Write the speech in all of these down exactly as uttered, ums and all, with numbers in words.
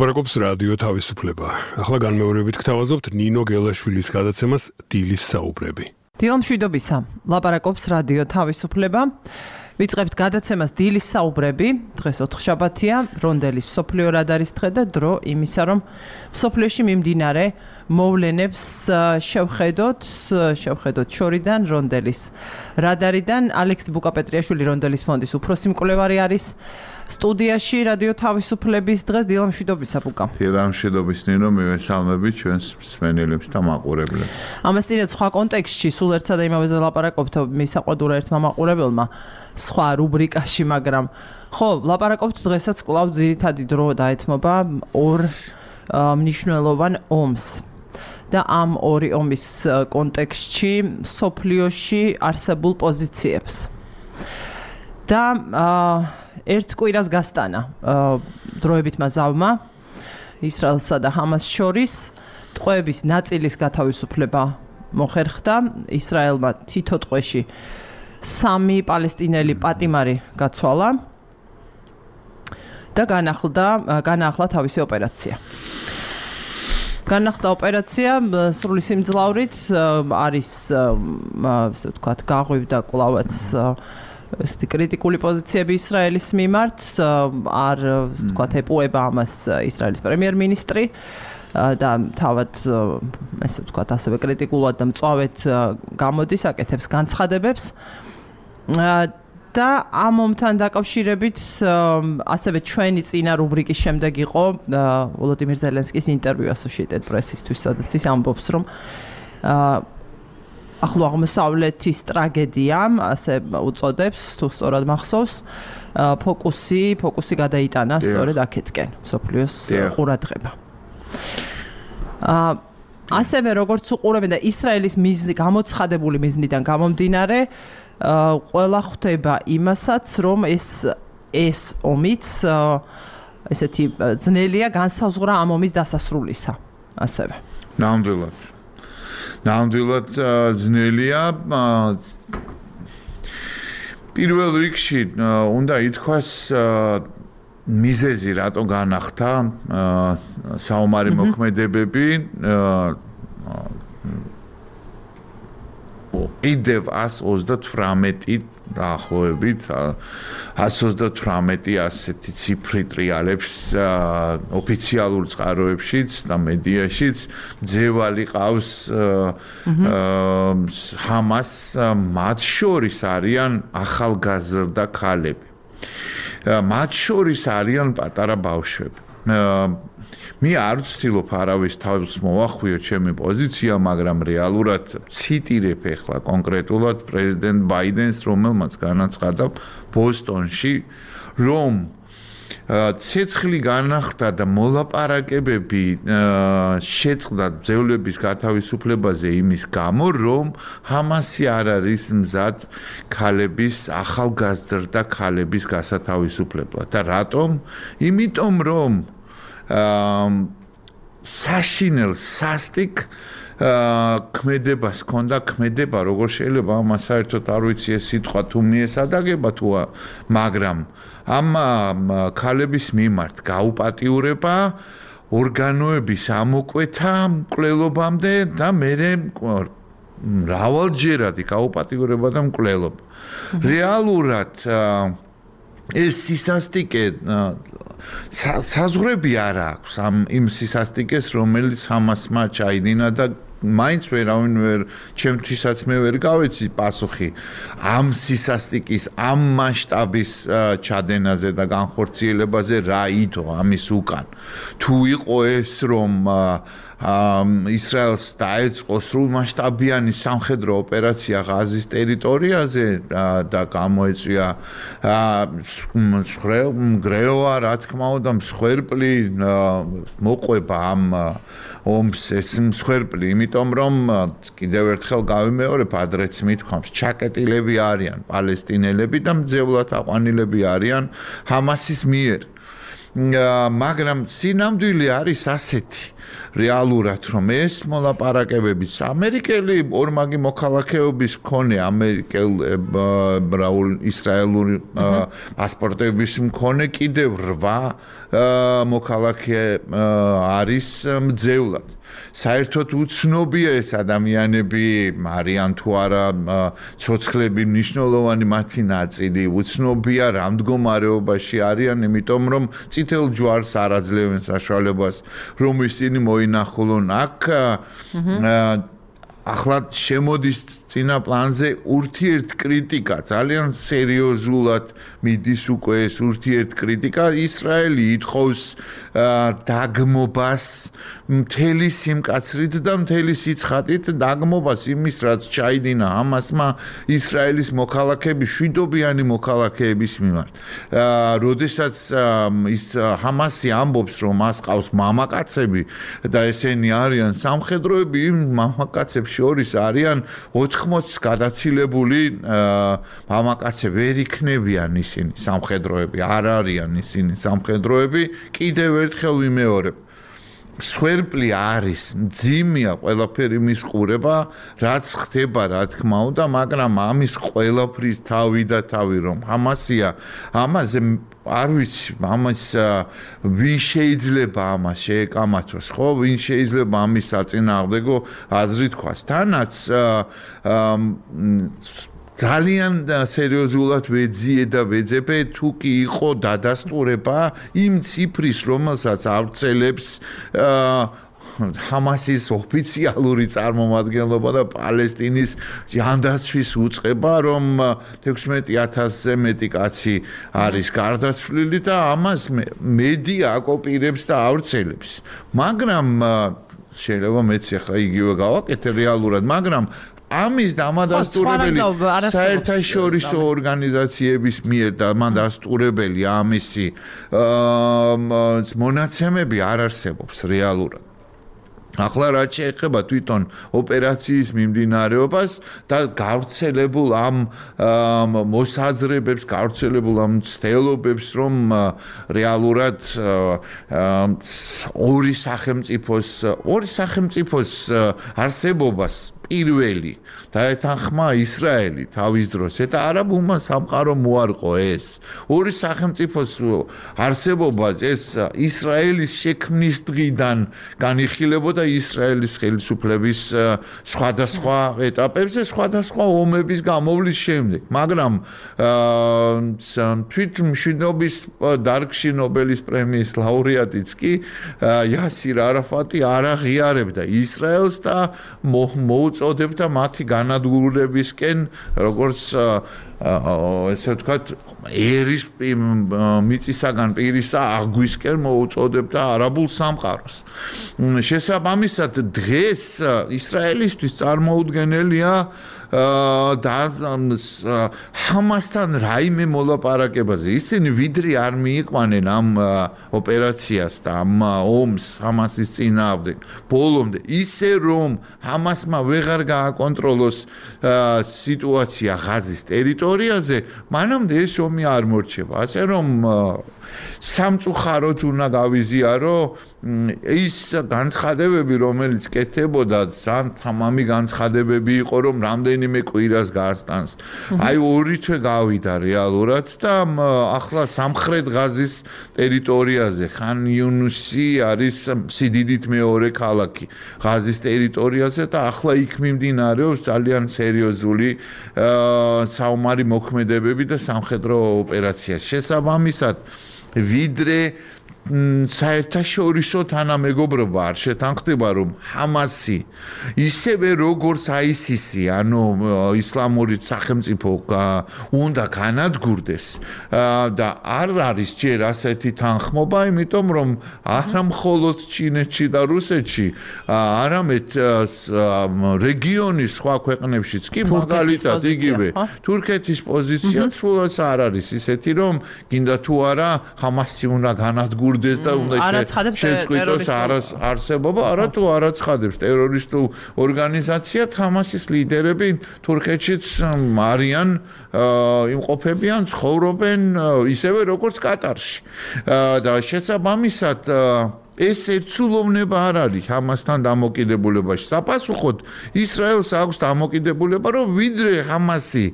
ლაპარაკობს რადიო თავისუფლება. ახლა განმეორებით გთავაზობთ ნინო გელაშვილის გადაცემას დილის საუბრები. დილომშვიდობისა, ლაპარაკობს რადიო თავისუფლება. ვიწყებთ გადაცემას დილის საუბრები. დღეს ოთხშაბათია, რონდელის მსოფლიო რადარის დღე და დრო იმისა, რომ მსოფლიოში მიმდინარე მოვლენებს შევხედოთ, შევხედოთ შორიდან, რონდელის რადარიდან. ალექსი ბუკაპეტრიაშვილი რონდელის ფონდის უფროსი მკვლევარი არის სტუდიაში რადიო თავისუფლების დღეს. დილამშვიდობისა, ბუკა. დილამშვიდობის ნინო, მივესალმებით ჩვენს მსმენელებს და მაყურებლებს. ამასთანავე სხვა კონტექსტში სულ ერთსა და იმავეზე ლაპარაკობთ მისაყვედურა ერთმა მაყურებელმა სხვა რუბრიკაში, მაგრამ ხო, ლაპარაკობთ დღესაც კვლავ ძირითადი დრო დაეთმობა ორ მნიშვნელოვან ომს. და ამ ორი ომის კონტექსტში სოფლიოში არსებულ პოზიციებს. და ერთ კვირას გასტანა დროებითმა ზავმა ისრაელსა და ჰამას შორის ტყვეების ნაწილის გათავისუფლება მოხერხდა. ისრაელმა თითო ტყვეში სამი პალესტინელი პატიმარი გაცვალა და განახლდა განაახლა თავისი ოპერაცია. განახლდა ოპერაცია სრული სიმძლავრით არის ასე ვთქვათ გაღვივდა კვლავაც ესეთი კრიტიკული პოზიციები ისრაელის მიმართ, არ ვთქვათ ეპუება ამას ისრაელის პრემიერ-მინისტრი და თავად ესე ვთქვათ ასევე კრიტიკულად და მწვავედ გამოდის, აკეთებს განცხადებებს. და ამ ომთან დაკავშირებით ასევე ჩვენი წინა რუბრიკის შემდეგ იყო ვოლოდიმირ ზელენსკის ინტერვიუ Associated Press-ისთვის, სადაც ის ამბობს, რომ ახლო აღმოსავლეთის ტრაგედიამ, ასე უწოდებს, თუ სწორად მახსოვს, ფოკუსი, ფოკუსი გადაიტანა სწორედ აქეთკენ, მსოფლიოს ყურადღება. ასევე როგორც უყურებენ და ისრაელის მიზნი, გამოცხადებული მიზნიდან გამომდინარე, ყველა ხვდება იმასაც, რომ ეს ეს ომიც ესეთი ძნელია განსაზღვრა ამ ომის დასასრულისა, ასევე. ნამდვილად. ნამდვილად ძნელია. პირველ რიგში უნდა ითქვას მიზეზი რატო განახდა საომარი მოქმედებები კიდევ ასი ოცდათვრამეტი დაახლოებით ასი ოცდათვრამეტი ასეთი ციფრი ტრიალებს ოფიციალურ წყაროებშიც და მედიაშიც ძევალი ყავს ჰამას, მათ შორის არიან ახალგაზრდა ქალები. მათ შორის არიან პატარა ბავშვები. მე არ ვცდილობ არავის თავს მოვახვიო ჩემი პოზიცია, მაგრამ რეალურად ციტირებ ახლა კონკრეტულად პრეზიდენტ ბაიდენს, რომელმაც განაცხადა ბოსტონში, რომ ცეცხლი განახდა და მოლაპარაკებები შეწყდა ბრძოლების გათავისუფლებაზე იმის გამო, რომ ჰამასი არ არის მზად ქალების, ახალგაზრდა ქალების გასათავისუფლებლად. და რატომ? იმიტომ რომ საშინელ სასტიკ ქმედებას ჰქონდა, ქმედება როგორ შეიძლება ამას საერთოდ არ ვიცი ეს სიტყვა თუ მიესადაგება თუ მაგრამ ამ ქალების მიმართ გაუპატიურება, ორგანოების ამოკვეთა მკვლელობამდე და მერე მრავალჯერადი გაუპატიურება და მკვლელობა. რეალურად ეს სისასტიკე საზღვრები არ აქვს ამ იმ სისასტიკეს, რომელიც ჰამასმა ჩაიდინა და მაინც ვერავინ ვერ ჩემთვისაც მე ვერ გავეცი პასუხი ამ სისასტიკის, ამ მასშტაბის ჩადენაზე და განხორციელებაზე რა იდო ამის უკან. თუ იყო ეს რომ ისრაელს დაეწყო სრულმასშტაბიანი სამხედრო ოპერაცია ღაზის ტერიტორიაზე და გამოეწვია მგრევა, რა თქმა უნდა, მსხვერპლი მოყვება ამ ომს ეს მსხვერპლი, იმიტომ რომ კიდევ ერთხელ გავიმეორებ, ადრეც მithქვამს, ჩაკეტილები არიან პალესტინელები და მძევლად აყვანილები არიან ჰამასის მიერ. მაგრამ სინამდვილე არის ასეთი რეალურად რომ ეს მოლაპარაკებებიც ამერიკელი ორმაგი მოქალაქეობის მქონე ამერიკელ ისრაელური პასპორტების მქონე კიდევ რვა მოქალაქე არის მძევლად. საერთოდ უცნობია ეს ადამიანები არიან თუ არა ცოცხლები მნიშვნელოვანი მათი ნაწილი უცნობია რა მდგომარეობაში არიან იმიტომ რომ წითელ ჯვარს არ აძლევენ საშუალებას რომ ისინი მოინახულონ აქ ახლა შემოდის წინა პლანზე ურთიერთ კრიტიკა ძალიან სერიოზულად მიდის უკვე ეს ურთიერთ კრიტიკა ისრაელი ითხოვს დაგმობას მთელი სიმკაცრით და მთელი სიცხადით დაგმობას იმის რაც ჩაიდინა ჰამასმა ისრაელის მოქალაქეები შვიდობიანი მოქალაქეების მიმართ როდესაც ის ჰამასი ამბობს რომ მას ყავს მამაკაცები და ესენი არიან სამხედროები იმ მამაკაცებს შორის არიან ოთხმოცს გადაცილებული მამაკაცები ვერ იქნებიან ისინი სამხედროები არ არიან ისინი სამხედროები კიდევ ერთხელ ვიმეორებ სვერპლი არის მძიმეა ყველაფერი მის ყურება რაც ხდება რა თქმა უნდა მაგრამ ამის ყველაფრის თავი და თავი რომ ჰამასია ამაზე არ ვიცი ამას ვინ შეიძლება ამას შეეკამათოს ხო ვინ შეიძლება ამის საწინააღმდეგო აზრი თქვას თანაც ძალიან სერიოზულად ვეძიე და ვეძებე თუ კი იყო დადასტურება იმ ციფრის რომელსაც ავრცელებს ჰამასის ოფიციალური წარმომადგენლობა და პალესტინის ჯანდაცვის უწყება რომ თექვსმეტი ათასზე მეტი კაცი არის გარდაცვლილი და ამას მედია აკოპირებს და ავრცელებს მაგრამ შეიძლება მეც ახლა იგივე გავაკეთე რეალურად მაგრამ ამის დამადასტურებელი საერთაშორისო ორგანიზაციების მიერ და მანდასტურებელი ამისი მონაცემები არ არსებობს რეალურად ახლა რაც შეეხება თვითონ ოპერაციის მიმდინარეობას და გავრცელებულ ამ მოსაზრებებს გავრცელებულ ამ ცდელობებს რომ რეალურად ორი სახელმწიფოს ორი სახელმწიფოს არსებობას პირველი დაეთანხმა ისრაელი თავის დროს და არაბულმა სამყარომ უარყო ეს ორი სახელმწიფოს არსებობა ეს ისრაელის შექმნის დღიდან განიხილებოდა ისრაელის ხელისუფლების სხვადასხვა ეტაპებზე სხვადასხვა ომების გამოვლის შემდეგ მაგრამ თვით მშვიდობის დარგში ნობელის პრემიის ლაურეატიც კი იასირ არაფატი არ აღიარებდა ისრაელს და მოუწოდებდა მათი განადგურებისკენ როგორც ესე ვთქვათ ერის მიწისაგან პირისა აგვისკენ მოუწოდებდა არაბულ სამყაროს შესაბამისად დღეს ისრაელისთვის წარმოუდგენელია და ჰამასთან რაიმე მოლაპარაკებაზე ისინი ვიდრე არ მიიყვანენ ამ ოპერაციას და ამ ომს ჰამასის წინააღმდეგ ბოლომდე ისე რომ ჰამასმა ვეღარ გააკონტროლოს სიტუაცია ღაზის ტერიტორიაზე მანამდე ეს ომი არ მორჩება ასე რომ სამწუხაროდ უნდა გავიზიარო ის განცხადებები რომელიც კეთებოდა ძალიან თამამი განცხადებები იყო რომ რამდენიმე კვირას გასტანს აი ორი თვე გავიდა რეალურად და ახლა სამხრეთ ღაზის ტერიტორიაზე ხან იუნუსი არის სიდიდით მეორე ქალაქი ღაზის ტერიტორიაზე და ახლა იქ მიმდინარეობს ძალიან სერიოზული საომარი მოქმედებები და სამხედრო ოპერაცია შესაბამისად ვიდრე საერთაშორისო თანამეგობრობა არ შეთანხმდება რომ ჰამასი ისევე როგორც აისისი ანუ ისლამური სახელმწიფო უნდა განადგურდეს და არ არის ჯერ ასეთი თანხმობა იმიტომ რომ არა მხოლოდ ჩინეთში და რუსეთში არამედ რეგიონის სხვა ქვეყნებშიც კი მაგალითად იგივე თურქეთის პოზიცია სულაც არ არის ისეთი რომ გინდა თუ არა ჰამასი უნდა განადგურდეს და უნდა შეწყვიტოს არსებობა, არა თუ არ აცხადებს ტერორისტულ ორგანიზაციად ჰამასის ლიდერები თურქეთშიც არიან იმყოფებიან, ცხოვრობენ ისევე როგორც კატარში. და შესაბამისად ეს ერთსულოვნება არ არის ჰამასთან დამოკიდებულებაში. საპასუხოდ ისრაელს აქვს დამოკიდებულება, რომ ვიდრე ჰამასი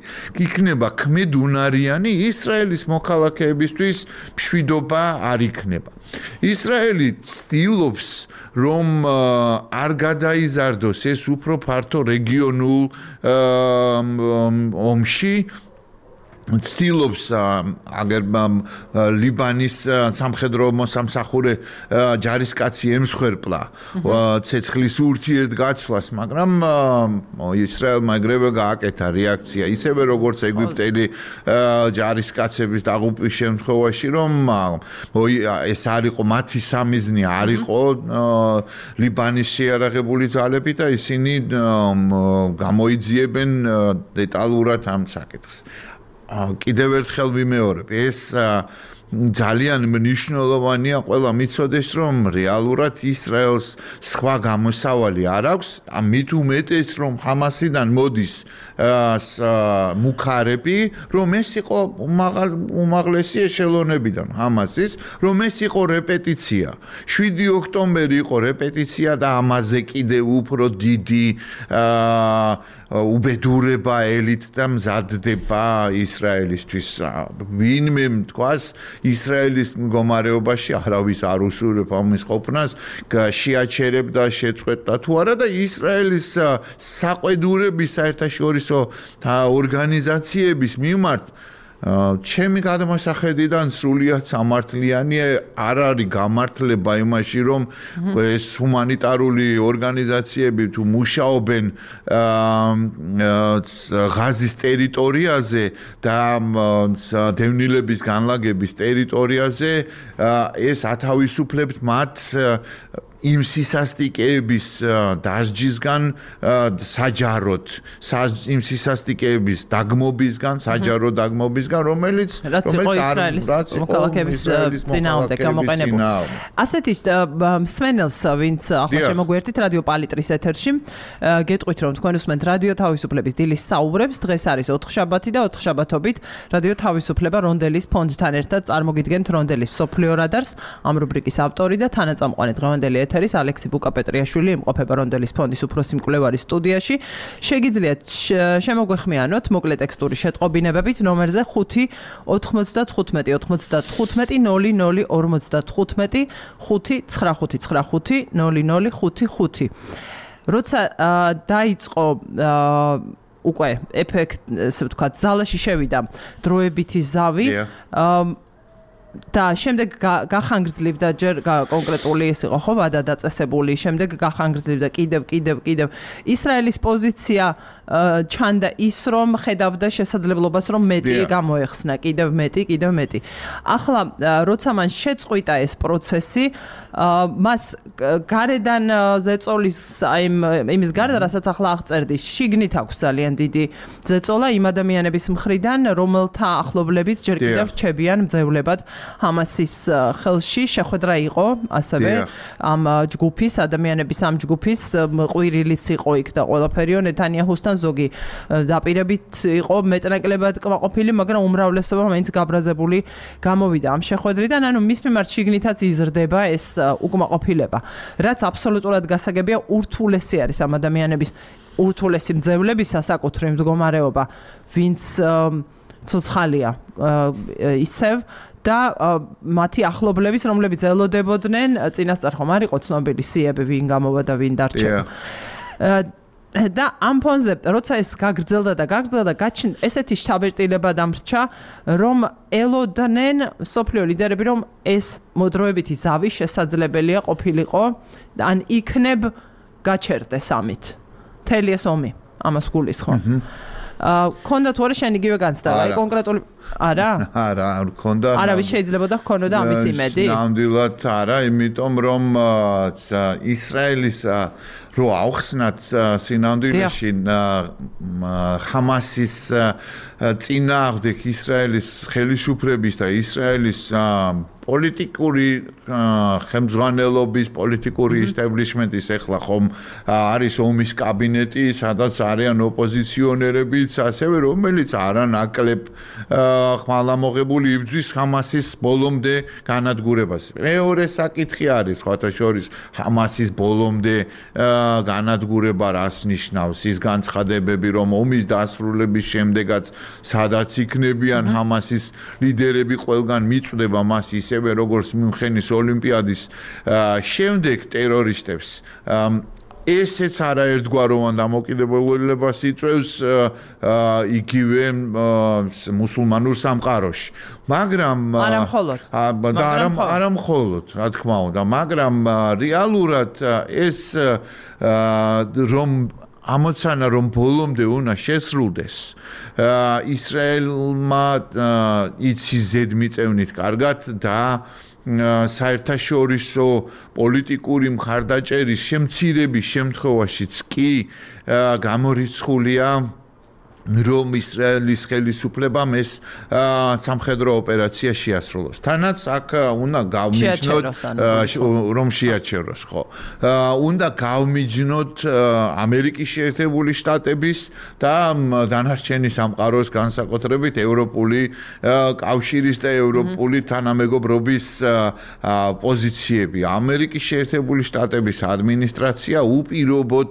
იქნება ქმედუნარიანი, ისრაელის მოქალაქეებისთვის მშვიდობა არ იქნება. ისრაელი ცდილობს, რომ არ გადაიზარდოს ეს უფრო ფართო რეგიონულ ომში, ცდილობს აგერ ლიბანის სამხედრო მოსამსახურე ჯარისკაცი ემსხვერპლა ცეცხლის ურთიერთგაცვლას, მაგრამ ისრაელმა ეგრევე გააკეთა რეაქცია, ისევე როგორც ეგვიპტელი ჯარისკაცების დაღუპვის შემთხვევაში, რომ ეს არ იყო მათი სამიზნე, არ იყო ლიბანის შეიარაღებული ძალები და ისინი გამოიძიებენ დეტალურად ამ საკითხს. კიდევ ერთხელ ვიმეორებ, ეს ძალიან მნიშვნელოვანია ყველა მიცოდეს, რომ რეალურად ისრაელს სხვა გამოსავალი არ აქვს, მით უმეტეს, რომ ჰამასიდან მოდის მუქარები, რომ ეს იყო უმაღლესი ეშელონებიდან ჰამასის, რომ ეს იყო რეპეტიცია. შვიდი ოქტომბერი იყო რეპეტიცია და ამაზე კიდევ უფრო დიდი უბედურება ელით და მზადდება ისრაელისთვის. ვინმე თქვას ისრაელის მდგომარეობაში არავის არ უსურვებ ამის ყოფნას, შეაჩერებდა, შეწყვეტდა თუ არა და ისრაელის საყვედურების საერთაშორისო ორგანიზაციების მიმართ ჩემი გადმოსახედიდან სრულიად სამართლიანი არ არის გამართლება იმაში, რომ ეს ჰუმანიტარული ორგანიზაციები თუ მუშაობენ ღაზის ტერიტორიაზე და დევნილების განლაგების ტერიტორიაზე, ეს ათავისუფლებთ მათ იმ სისასტიკეების დასჯისგან საჯაროდ, იმ სისასტიკეების დაგმობისგან, საჯარო დაგმობისგან, რომელიც რომელიც ისრაელის მოქალაქეების წინააღმდეგ გამოყენებული. ასეთი მსმენელს, ვინც ახლა შემოგვიერთით რადიო პალიტრის ეთერში, გეტყვით, რომ თქვენ უსმენთ რადიო თავისუფლების დილის საუბრებს. დღეს არის ოთხშაბათი და ოთხშაბათობით რადიო თავისუფლება რონდელის ფონდთან ერთად წარმოგიდგენთ რონდელის მსოფლიო რადარს. ამ რუბრიკის ავტორი და თანაწამყვანი დღევანდელი ეთერის ალექსი ბუკა-პეტრიაშვილი იმყოფება რონდელის ფონდის უფროსი მკვლევარის სტუდიაში. შეგიძლიათ შემოგვეხმიანოთ მოკლე ტექსტური შეტყობინებებით ნომერზე ხუთი ოთხმოცდათხუთმეტი ოცდათხუთმეტი ნული ნული ორმოცდათხუთმეტი ხუთი ცხრა ხუთი ცხრა ხუთი ნული ნული ხუთი ხუთი. როცა დაიწყო უკვე ეფექტ, ესე ვთქვათ, ზალაში შევიდა დროებითი ზავი, და შემდეგ გახანგრძლივდა ჯერ კონკრეტული ის იყო ხო ვადა დაწესებული, შემდეგ გახანგრძლივდა კიდევ კიდევ კიდევ ისრაელის პოზიცია ჩანდა ის, რომ ხედავდა შესაძლებლობას, რომ მეტი გამოეხსნა, კიდევ მეტი, კიდევ მეტი. ახლა როცა მან შეწყვიტა ეს პროცესი, მას გარედან ზეწოლის აი იმის გარდა, რასაც ახლა აღწერდი, შიგნით აქვს ძალიან დიდი ზეწოლა იმ ადამიანების მხრიდან, რომელთა ახლობლებიც ჯერ კიდევ რჩებიან მძევლებად ჰამასის ხელში. შეხვედრა იყო ასევე ამ ჯგუფის ადამიანების ამ ჯგუფის ყვირილიც იყო იქ და ყველაფერიო ნეთანიაჰუსთან ზოგი დაპირებით იყო მეტნაკლებად კმაყოფილი, მაგრამ უმრავლესობა მაინც გაბრაზებული გამოვიდა ამ შეხვედრიდან. ანუ მის მიმართ შიგნითაც იზრდება ეს უკმაყოფილება, რაც აბსოლუტურად გასაგებია. ურთულესი არის ამ ადამიანების, ურთულესი მძევლების საკუთრივ მდგომარეობა, ვინც ცოცხალია ისევ და მათი ახლობლების, რომლებიც ელოდებოდნენ, წინასწარ ხომ არ იყო ცნობილი სიები, ვინ გამოვა და ვინ დარჩა. და ამ ფონზე, როცა ეს გაგრძელდა და გაგრძელდა, ესეთი შთაბეჭდილება დამრჩა, რომ ელოდნენ სოფლიო ლიდერები, რომ ეს მოდროებითი ზავი შესაძლებელია ყოფილიყო, ან იქნებ გაჩერდეს ამით. მთელი ეს ომი, ამას გულისხმობ. ქონდა თუ არა შენ იგივე განცდა, აი კონკრეტული არა? არა, არ ქონდა. არავის შეიძლება და ქონოდა ამის იმედი? ნამდვილად არა, იმიტომ რომ ისრაელის რო ავხსნათ სინამდვილეში ჰამასის წინააღმდეგ ისრაელის ხელისუფლების და ისრაელის პოლიტიკური ხელმძღვანელობის, პოლიტიკური ისტაბლიშმენტის ეხლა ხომ არის ომის კაბინეტი, სადაც არიან ოპოზიციონერებიც, ასევე რომელიც არანაკლებ ხმალამოღებული იბრძვის ჰამასის ბოლომდე განადგურებას. მეორე საკითხი არის სხვათა შორის ჰამასის ბოლომდე განადგურება რას ნიშნავს ის განცხადებები რომ ომის დასრულების შემდეგაც სადაც იქნებიან ჰამასის ლიდერები ყველგან მიწვდება მას ისევე როგორც მიუნხენის ოლიმპიადის შემდეგ ტერორისტებს ესეც არაერთგვაროვან დამოკიდებულებას იწვევს იგივე მუსულმანურ სამყაროში მაგრამ და არა მხოლოდ რა თქმა უნდა მაგრამ რეალურად ეს რომ ამოცანა რომ ბოლომდე უნდა შესრულდეს ისრაელმა იცის ზედმიწევნით კარგად და საერთაშორისო პოლიტიკური მხარდაჭერის შემცირების შემთხვევაშიც კი გამორიცხულია რომ ისრაელის ხელისუფლებამ ეს სამხედრო ოპერაცია შეასრულოს. თანაც აქ უნდა გავმიჯნოთ რომ შეაჩეროს, ხო. უნდა გავმიჯნოთ ამერიკის შეერთებული შტატების და დანარჩენი სამყაროს განსაკუთრებით ევროპული კავშირის და ევროპული თანამეგობრობის პოზიციები. ამერიკის შეერთებული შტატების ადმინისტრაცია უპირობოდ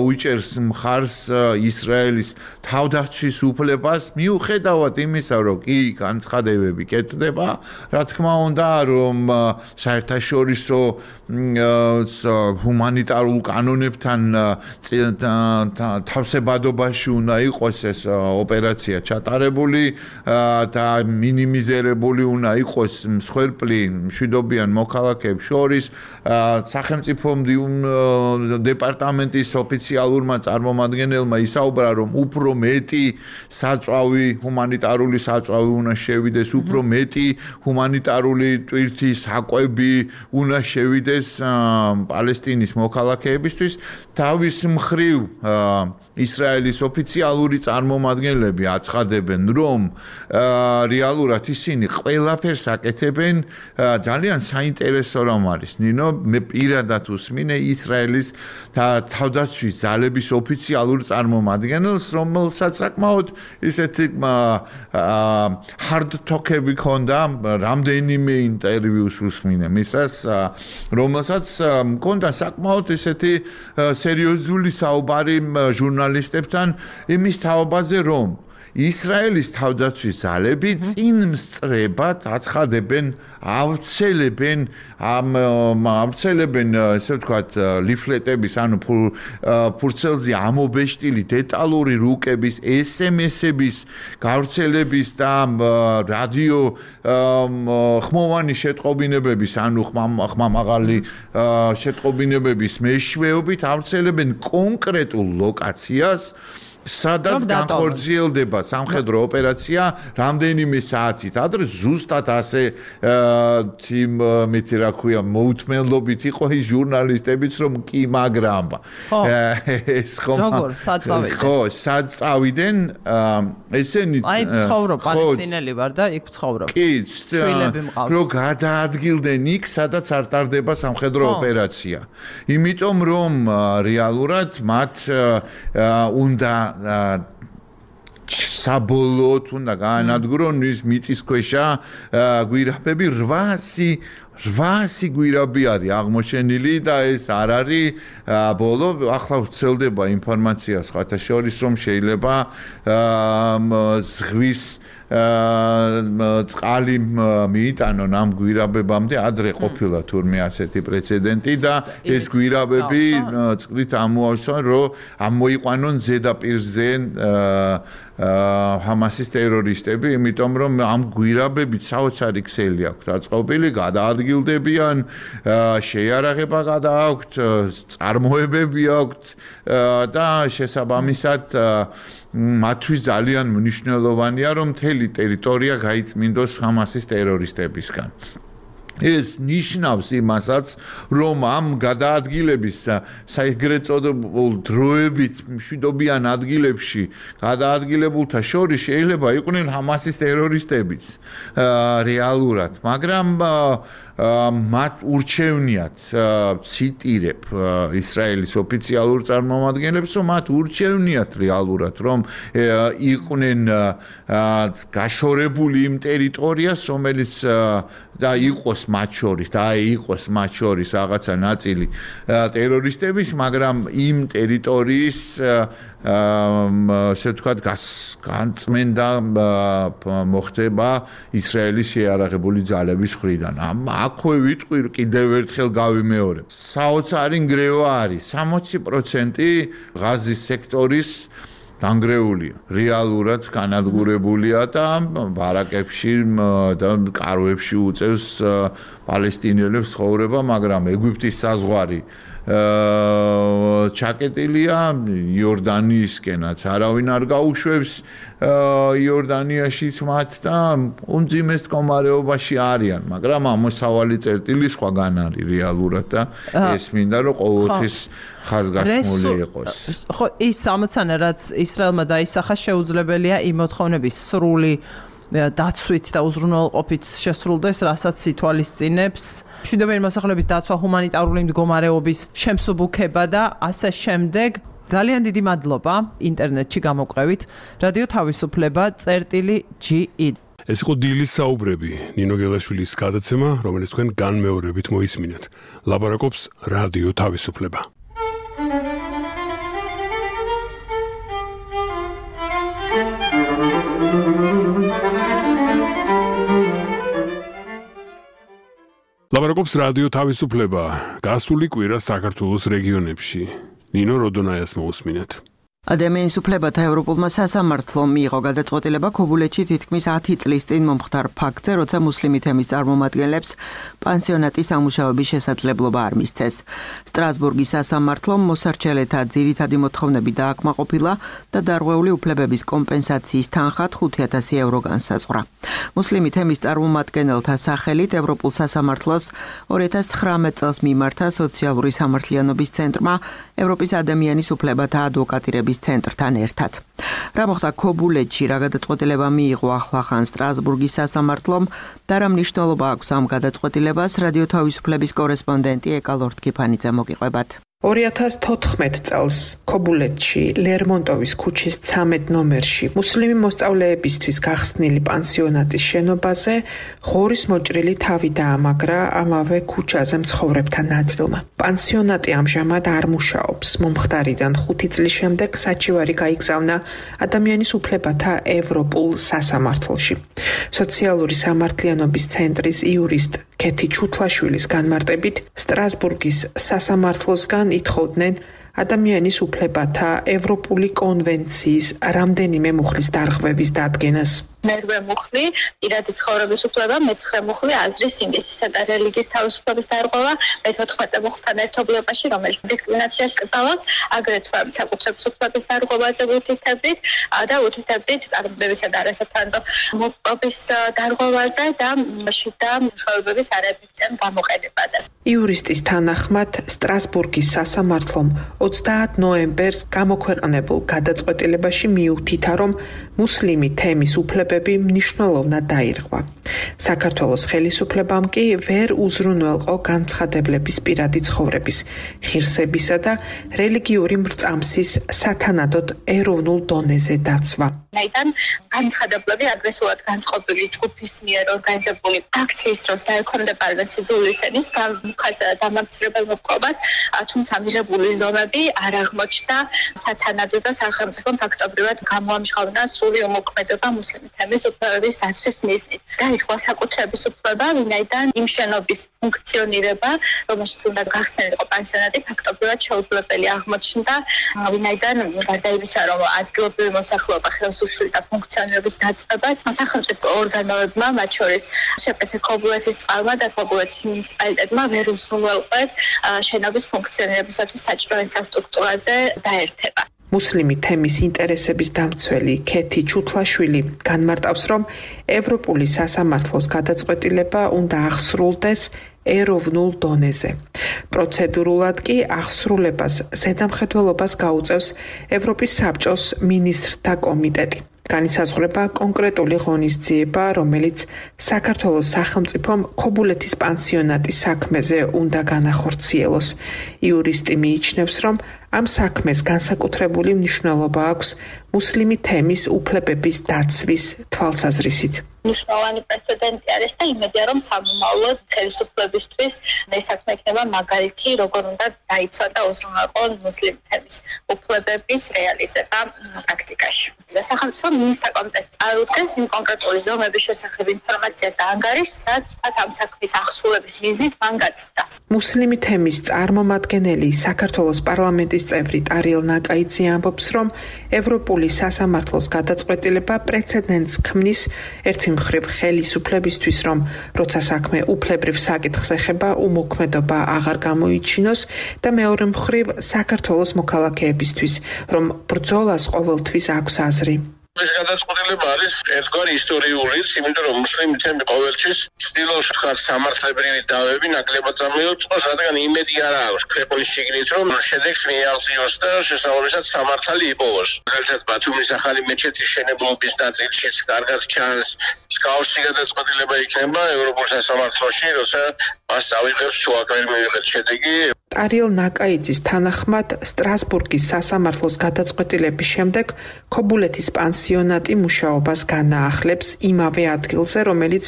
უჭერს მხარს ისრაელის თავდაცვის უფლებას მიუხედავად იმისა, რომ კი განცხადებები კეთდება, რა თქმა უნდა, რომ საერთაშორისო ჰუმანიტარულ კანონებთან თავსებადობაში უნდა იყოს ეს ოპერაცია ჩატარებული და მინიმიზირებული უნდა იყოს მსხვერპლი მშვიდობიან მოქალაქეებს შორის სახელმწიფო დეპარტამენტის ოფიციალურმა წარმომადგენელმა ისაუბრა, რომ უფრო მეტი საწვავი, ჰუმანიტარული საწვავი უნდა შევიდეს, უფრო მეტი ჰუმანიტარული ტვირთი საკვები უნდა შევიდეს პალესტინის მოქალაქეებისთვის. თავის მხრივ ისრაელის ოფიციალური წარმომადგენლები აცხადებენ, რომ რეალურად ისინი ყველაფერს აკეთებენ ძალიან საინტერესო რამ არის. ნინო, მე პირადად უსმინე ისრაელის თავდაცვის ძალების ოფიციალურ წარმომადგენელს, რომელსაც საკმაოდ ისეთი hard talk-ები ჰქონდა, რამდენიმე ინტერვიუს უსმინე მისას, რომელსაც ჰქონდა საკმაოდ ისეთი სერიოზული საუბარი ჟურნალისტებთან იმის თაობაზე, რომ ისრაელის თავდაცვის ძალები წინ მსწრებად აცხადებენ, ავრცელებენ ამ ავრცელებენ ესე ვთქვათ ლიფლეტების ანუ ფურცელზე ამობეშტილი დეტალური რუკების ეს ემ ესების გავრცელების და რადიო ხმოვანი შეტყობინებების ანუ ხმამაღალი შეტყობინებების მეშვეობით ავრცელებენ კონკრეტულ ლოკაციას სადაც განხორციელდება სამხედრო ოპერაცია რამდენიმე საათით ადრე ზუსტად ასე თიმ რა ქვია მოუთმენლობით იყო ის ჟურნალისტებიც რომ კი მაგრამ ეს ხომ ხო სად წავიდნენ ესენი აი ცხოვრობ პალესტინელი ვარ და იქ ცხოვრობ კი რო გადაადგილდნენ იქ სადაც არ ტარდება სამხედრო ოპერაცია იმიტომ რომ რეალურად მათ უნდა საბოლოოდ უნდა გაანადგურონ ის მიწისქვეშა გვირაბები რვასი გვირაბი არის აღმოჩენილი და ეს არ არის ბოლო ახლა ვრცელდება ინფორმაცია სხვათა შორის რომ შეიძლება ზღვის წყალი მიიტანონ ამ გვირაბებამდე ადრე ყოფილა თურმე ასეთი პრეცედენტი და ეს გვირაბები წყლით ამოავსონ რომ ამოიყვანონ ზედაპირზე ჰამასის ტერორისტები იმიტომ რომ ამ გვირაბებით საოცარი ქსელი აქვთ აწყობილი გადაადგილდებიან შეიარაღება გადააქვთ წარმოებები აქვთ და შესაბამისად მათთვის ძალიან მნიშვნელოვანია რომ მთელი ტერიტორია გაიწმინდოს ჰამასის ტერორისტებისგან ეს ნიშნავს იმასაც, რომ ამ გადაადგილების საეგრეთ წოდებულ დროებით მშვიდობიან ადგილებში გადაადგილებულთა შორის შეიძლება იყვნენ ჰამასის ტერორისტებიც რეალურად, მაგრამ მათ urჩევნიათ ციტირებ ისრაელის ოფიციალურ წარმომადგენლებს, რომ მათ urჩევნიათ რეალურად, რომ იყვნენ გაშორებული იმ ტერიტორიას, რომელიც და იყოს მათ შორის და იყოს მათ შორის რაღაცა ნაწილი ტერორისტების, მაგრამ იმ ტერიტორიის ასე ვთქვათ განწმენდა მოხდება ისრაელის შეიარაღებული ძალების მხრიდან. აქვე ვიტყვი კიდევ ერთხელ გავიმეორებ. საოცარი ნგრევა არის სამოცი პროცენტი ღაზის სექტორის დანგრეულია, რეალურად განადგურებულია და ბარაკებში და კარვებში უწევს პალესტინელებს ცხოვრება, მაგრამ ეგვიპტის საზღვარი ჩაკეტილია იორდანიისკენაც არავინ არ გაუშვებს იორდანიაშიც მათ და უმძიმეს მდგომარეობაში არიან, მაგრამ ამოსავალი წერტილი სხვაგან არის რეალურად და ეს მინდა რომ ყოველთვის ხაზგასმული იყოს. ხო, ის ამოცანა რაც ისრაელმა დაისახა შეუძლებელია იმ მოთხოვნების სრული დაცვით და უზრუნველყოფით შესრულდეს, რასაც ითვალისწინებს მშვიდობიანი მოსახლეობის დაცვა, ჰუმანიტარული მდგომარეობის შემსუბუქება და ასე შემდეგ. ძალიან დიდი მადლობა ინტერნეტში გამოყევით. რადიო თავისუფლება წერტილი ჯი ი. ეს იყო დილის საუბრები, ნინო გელაშვილის გადაცემა, რომელიც თქვენ განმეორებით მოისმინეთ. ლაპარაკობს რადიო თავისუფლება. ლაპარაკობს რადიო თავისუფლება. გასული კვირა საქართველოს რეგიონებში. ნინო როდონაიას მოусმინეთ. ადამიანის უფლებათა ევროპულმა სასამართლომ მიიღო გადაწყვეტილება ქობულეთში თითქმის ათი წლის წინ მომხდარ ფაქტზე, როცა მუსლიმი თემის წარმომადგენლებს პანსიონატის ამუშავების შესაძლებლობა არ მისცეს. სტრასბურგის სასამართლომ მოსარჩელეთა ძირითადი მოთხოვნები დააკმაყოფილა და დარღვეული უფლებების კომპენსაციის თანხად ხუთი ათასი ევრო განსაზღვრა. მუსლიმი თემის წარმომადგენელთა სახელით ევროპულ სასამართლოს ორი ათას ცხრამეტ წელს მიმართა სოციალური სამართლიანობის ცენტრმა ევროპის ადამიანის უფლებათა ადვოკატირების ცენტრთან ერთად. რა მოხდა ქობულეთში, რა გადაწყვეტილება მიიღო ახლახან სტრასბურგის სასამართლომ და რა მნიშვნელობა აქვს ამ გადაწყვეტილებას, რადიო თავისუფლების კორესპონდენტი ეკა ლორთქიფანიძე მოგიყვებათ. ორი ათას თოთხმეტ წელს ქობულეთში ლერმონტოვის ქუჩის ცამეტ ნომერში მუსლიმი მოსწავლეებისთვის გახსნილი პანსიონატის შენობაზე ღორის მოჭრილი თავი დაამაგრა ამავე ქუჩაზე მცხოვრებთა ნაწილმა. პანსიონატი ამჟამად არ მუშაობს. მომხდარიდან ხუთი წლის შემდეგ საჩივარი გაიგზავნა ადამიანის უფლებათა ევროპულ სასამართლოში. სოციალური სამართლიანობის ცენტრის იურისტ ქეთი ჩუთლაშვილის განმარტებით სტრასბურგის სასამართლოსგან ითხოვდნენ ადამიანის უფლებათა ევროპული კონვენციის რამდენიმე მუხლის დარღვევის დადგენას. მერვე მუხლი პირადი ცხოვრების უფლება, მეცხრე მუხლი აზრის, სინდისისა და რელიგიის თავისუფლების დარღვევა, მეთოთხმეტე მუხლთან ერთობლიობაში, რომელიც დისკრიმინაციას კრძალავს, აგრეთვე საკუთრების უფლების დარღვევაზე უთითებით და უთითებით წარმოებისა და არასათანადო მოპყრობის დარღვევაზე და შიდა მშობლების არებიდან გამოყენებაზე. იურისტის თანახმად სტრასბურგის სასამართლომ ოცდაათ ნოემბერს გამოქვეყნებულ გადაწყვეტილებაში მიუთითა, რომ მუსლიმი თემის უფლებები მნიშვნელოვნად დაირღვა. საქართველოს ხელისუფლებამ კი ვერ უზრუნველყო განცხადებლების პირადი ცხოვრების, ღირსებისა და რელიგიური მრწამსის სათანადოდ ეროვნულ დონეზე დაცვა. Ნაიდან განცხადებლები აგრესიულად განწყობილი ჯგუფის მიერ ორგანიზებული აქციის დროს დაექვემდებარებენ სიძულვის ენის გამხასა და დამამცირებელ მოპყრობას, თუმცა მიღებული ზომები არ აღმოჩნდა სათანადო და სახელმწიფომ ფაქტობრივად გამოამჟღავნა სრული უმოქმედება მუსლიმი თემის უფლებების დაცვის მიზნით. დაირღვა საკუთრების უფლება, ვინაიდან იმ შენობის ფუნქციონირება, რომელშიც უნდა გახსნილიყო პანსიონატი, ფაქტობრივად შეუძლებელი აღმოჩნდა, ვინაიდან გარდა იმისა, რომ ადგილობრივი მოსახლეობა ხელს უშლიდა ფუნქციონირების დაწყებას, სახელმწიფო ორგანოებმა, მათ შორის შეპრესე ქობულეთის წყალმა და ქობულეთის მუნიციპალიტეტმა ვერ უზრუნველყვეს შენობის ფუნქციონირებისათვის საჭირო ინფრასტრუქტურაზე დაერთება. მუსლიმი თემის ინტერესების დამცველი ქეთი ჩუთლაშვილი განმარტავს, რომ ევროპული სასამართლოს გადაწყვეტილება უნდა აღსრულდეს ეროვნულ დონეზე. პროცედურულად კი აღსრულებას ზედამხედველობას გაუწევს ევროპის საბჭოს მინისტრთა კომიტეტი. განისაზღვრება კონკრეტული ღონისძიება, რომელიც საქართველოს სახელმწიფომ ქობულეთის პანსიონატის საქმეზე უნდა განახორციელოს. იურისტი მიიჩნევს, რომ ამ საქმეს განსაკუთრებული მნიშვნელობა აქვს მუსლიმი თემის უფლებების დაცვის თვალსაზრისით. მნიშვნელოვანი პრეცედენტი არის და იმედია, რომ სამომავლოდ ხელისუფლებისთვის ეს საქმე იქნება მაგალითი, როგორ უნდა დაიცვა და უზრუნველყოს მუსლიმ თემის უფლებების რეალიზება პრაქტიკაში. სახელმწიფო მინისტრთა კომიტეტი წარუდგენს იმ კონკრეტული ზომების შესახებ ინფორმაციას და ანგარიშს, რაც ამ საქმის აღსრულების მიზნით მან გაწდა. მუსლიმი თემის წარმომადგენელი საქართველოს პარლამენტის წევრი ტარიელ ნაკაიძე ამბობს, რომ ევროპული სასამართლოს გადაწყვეტილება პრეცედენტს ქმნის ერთი მხრივ ხელისუფლებისთვის, რომ როცა საქმე უფლებრივ საკითხს ეხება, უმოქმედობა აღარ გამოიჩინოს და მეორე მხრივ საქართველოს მოქალაქეებისთვის, რომ ბრძოლას ყოველთვის აქვს აზრი. ეს გადაწყვეტილება არის ერთგვარი ისტორიულიც, იმიტომ რომ მუსლიმი თემი ყოველთვის ცდილობს თქვა სამართლებრივი დავები ნაკლებად წამოიწყოს, რადგან იმედი არ აქვს ქვეყნის შიგნით, რომ შედეგს მიაღწიოს და შესაბამისად სამართალი იპოვოს. მაგალითად, ბათუმის ახალი მეჩეთის შენებლობის ნაწილშიც კარგად ჩანს, მსგავსი გადაწყვეტილება იქნება ევროპულ სასამართლოში, როცა მას წავიღებს თუ აქ ვერ მივიღეთ შედეგი. ტარიელ ნაკაიძის თანახმად სტრასბურგის სასამართლოს გადაწყვეტილების შემდეგ ქობულეთის პანსიონატი მუშაობას განაახლებს იმავე ადგილზე, რომელიც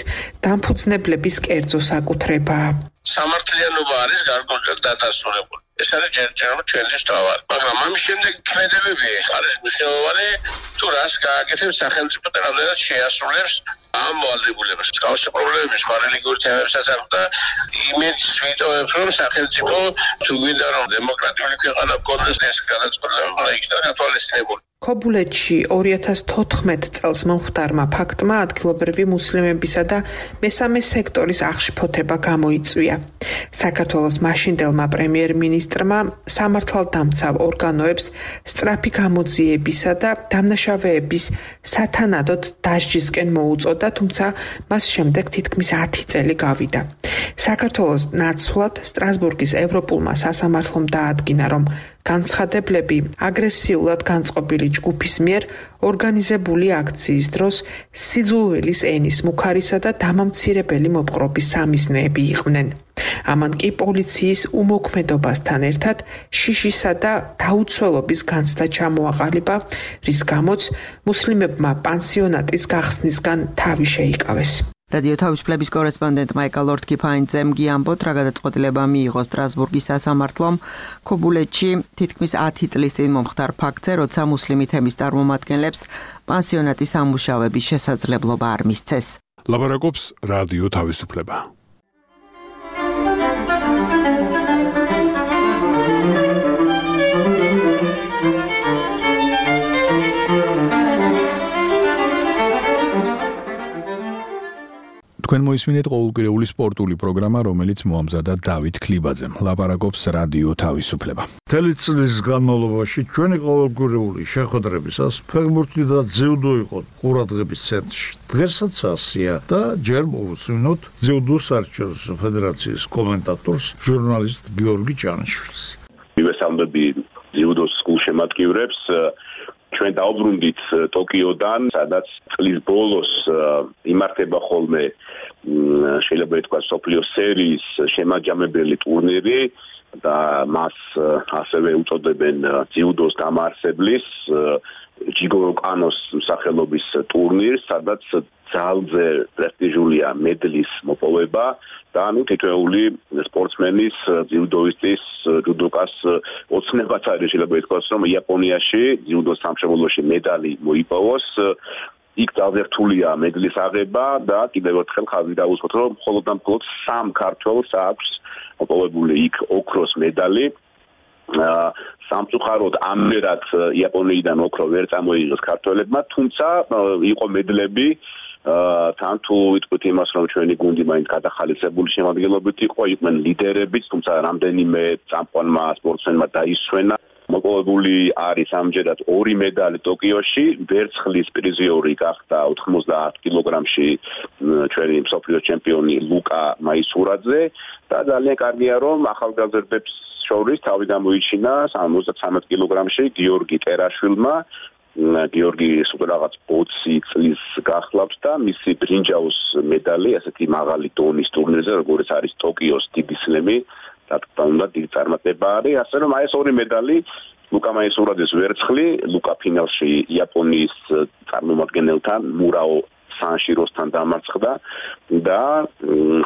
დამფუძნებლების კერძოს აკუთრებაა. სამართლიანობა არის გარკვეულად დადასტურებული. ეს არის ჯერჯერობით ჩვენი თავი. მაგრამ ამის შემდეგ ქმედებები არის მნიშვნელოვანი, თუ რას გააკეთებს სახელმწიფო და რამდენად შეასრულებს ამ ვალდებულებას. მსგავსი პრობლემები სხვა რელიგიურ თემებსაც აქვს და იმედს ვიტოვებს, რომ სახელმწიფო თუ გვინდა რომ დემოკრატიული ქვეყანა გქონდეს, ეს გადაწყვეტილება უნდა იქნას გათვალისწინებული. ქობულეთში ორი ათას თოთხმეტ წელს მომხდარმა ფაქტმა ადგილობრივი მუსლიმებისა და მესამე სექტორის აღშფოთება გამოიწვია. საქართველოს მაშინდელმა პრემიერ-მინისტრმა სამართალდამცავ ორგანოებს სწრაფი გამოძიებისა და დამნაშავეების სათანადოდ დასჯისკენ მოუწოდა, თუმცა მას შემდეგ თითქმის ათი წელი გავიდა. საქართველოს ნაცვლად სტრასბურგის ევროპულმა სასამართლომ დაადგინა, რომ განცხადებლები აგრესიულად განწყობილი ჯგუფის მიერ ორგანიზებული აქციის დროს სიძულვილის ენის მუქარისა და დამამცირებელი მოპყრობის სამიზნეები იყვნენ. ამან კი პოლიციის უმოქმედობასთან ერთად შიშისა და დაუცველობის განცდა ჩამოაყალიბა, რის გამოც მუსლიმებმა პანსიონატის გახსნისგან თავი შეიკავეს. რადიო თავისუფლების კორესპონდენტმა ეკალორდ კიფაინძემ გიამბოთ, რა გადაწყვეტილება მიიღო სტრასბურგის სასამართლომ ქობულეთში თითქმის ათი წლის წინ მომხდარ ფაქტზე, როცა მუსლიმი თემის წარმომადგენლებს პანსიონატის ამუშავების შესაძლებლობა არ მისცეს. ლაპარაკობს რადიო თავისუფლება. თქვენ მოისმინეთ ყოველკვირეული სპორტული პროგრამა, რომელიც მოამზადა დავით ქლიბაძემ. ლაპარაკობს რადიო თავისუფლება. მთელი წლის განმავლობაში ჩვენი ყოველკვირეული შეხვედრებისას ფეხბურთი და ძიუდო იყო ყურადღების ცენტრში. დღესაც ასია და ჯერ მოვუსმინოთ ძიუდო საერთაშორისო ფედერაციის კომენტატორს, ჟურნალისტ გიორგი ჭანიშვილს. მივესალმები ძიუდოს გულშემატკივრებს. ჩვენ დაუბრუნდით ტოკიოდან, სადაც წლის ბოლოს იმართება ხოლმე შეიძლება ითქვა სოფლიო სერიის შემაჯამებელი ტურნირი და მას ასევე უწოდებენ ძიუდოს დამაარსებლის ჯიგორო კანოს სახელობის ტურნირს, სადაც ძალზე პრესტიჟულია მედლის მოპოვება და ნუ თითოეული სპორტსმენის, ძიუდოისტის, ჯუდოკას ოცნებაც არის შეიძლება ითქვას, რომ იაპონიაში ძიუდოს სამშობლოში მედალი მოიპოვოს. იქ ძალზე რთულია მედლის აღება და კიდევ ერთხელ ხაზი დავუსვათ, რომ მხოლოდ და მხოლოდ სამ ქართველს აქვს მოპოვებული იქ ოქროს მედალი. სამწუხაროდ ამერად იაპონიიდან ოქრო ვერ წამოიღეს ქართველებმა, თუმცა იყო მედლები თან თუ ვიტყვით იმას, რომ ჩვენი გუნდი მაინც გადახალისებული შემადგენლობით იყო, იყვნენ ლიდერებიც, თუმცა რამდენიმე წამყვანმა სპორტსმენმა დაისვენა მოპოვებული არის ამჯერად ორი медали ტოკიოში, ვერცხლის პრიზიორი გახდა ოთხმოცდაათ კილოგრამში ჩვენი მსოფლიო ჩემპიონი ლუკა მაისურაძე და ძალიან კარგია რომ ახალგაზრდებს შორის თავი გამოიჩინა ოცდათრამეტ კილოგრამში გიორგი ტერაშვილმა გიორგი სულ რაღაც ოცი წლის გახლავთ და მისი ბრინჯაოს медали ასეთი მაღალი დონის ტურნირზე როგორც არის ტოკიოს დიდი სლემი და თუნდაც დიდი წარმატება არის ასე რომ აი ეს ორი медали ლუკა მაისურაძეს ვერცხლი ლუკა ფინალში იაპონიის წარმომადგენელთან მურაო სანშიროსთან დამარცხდა და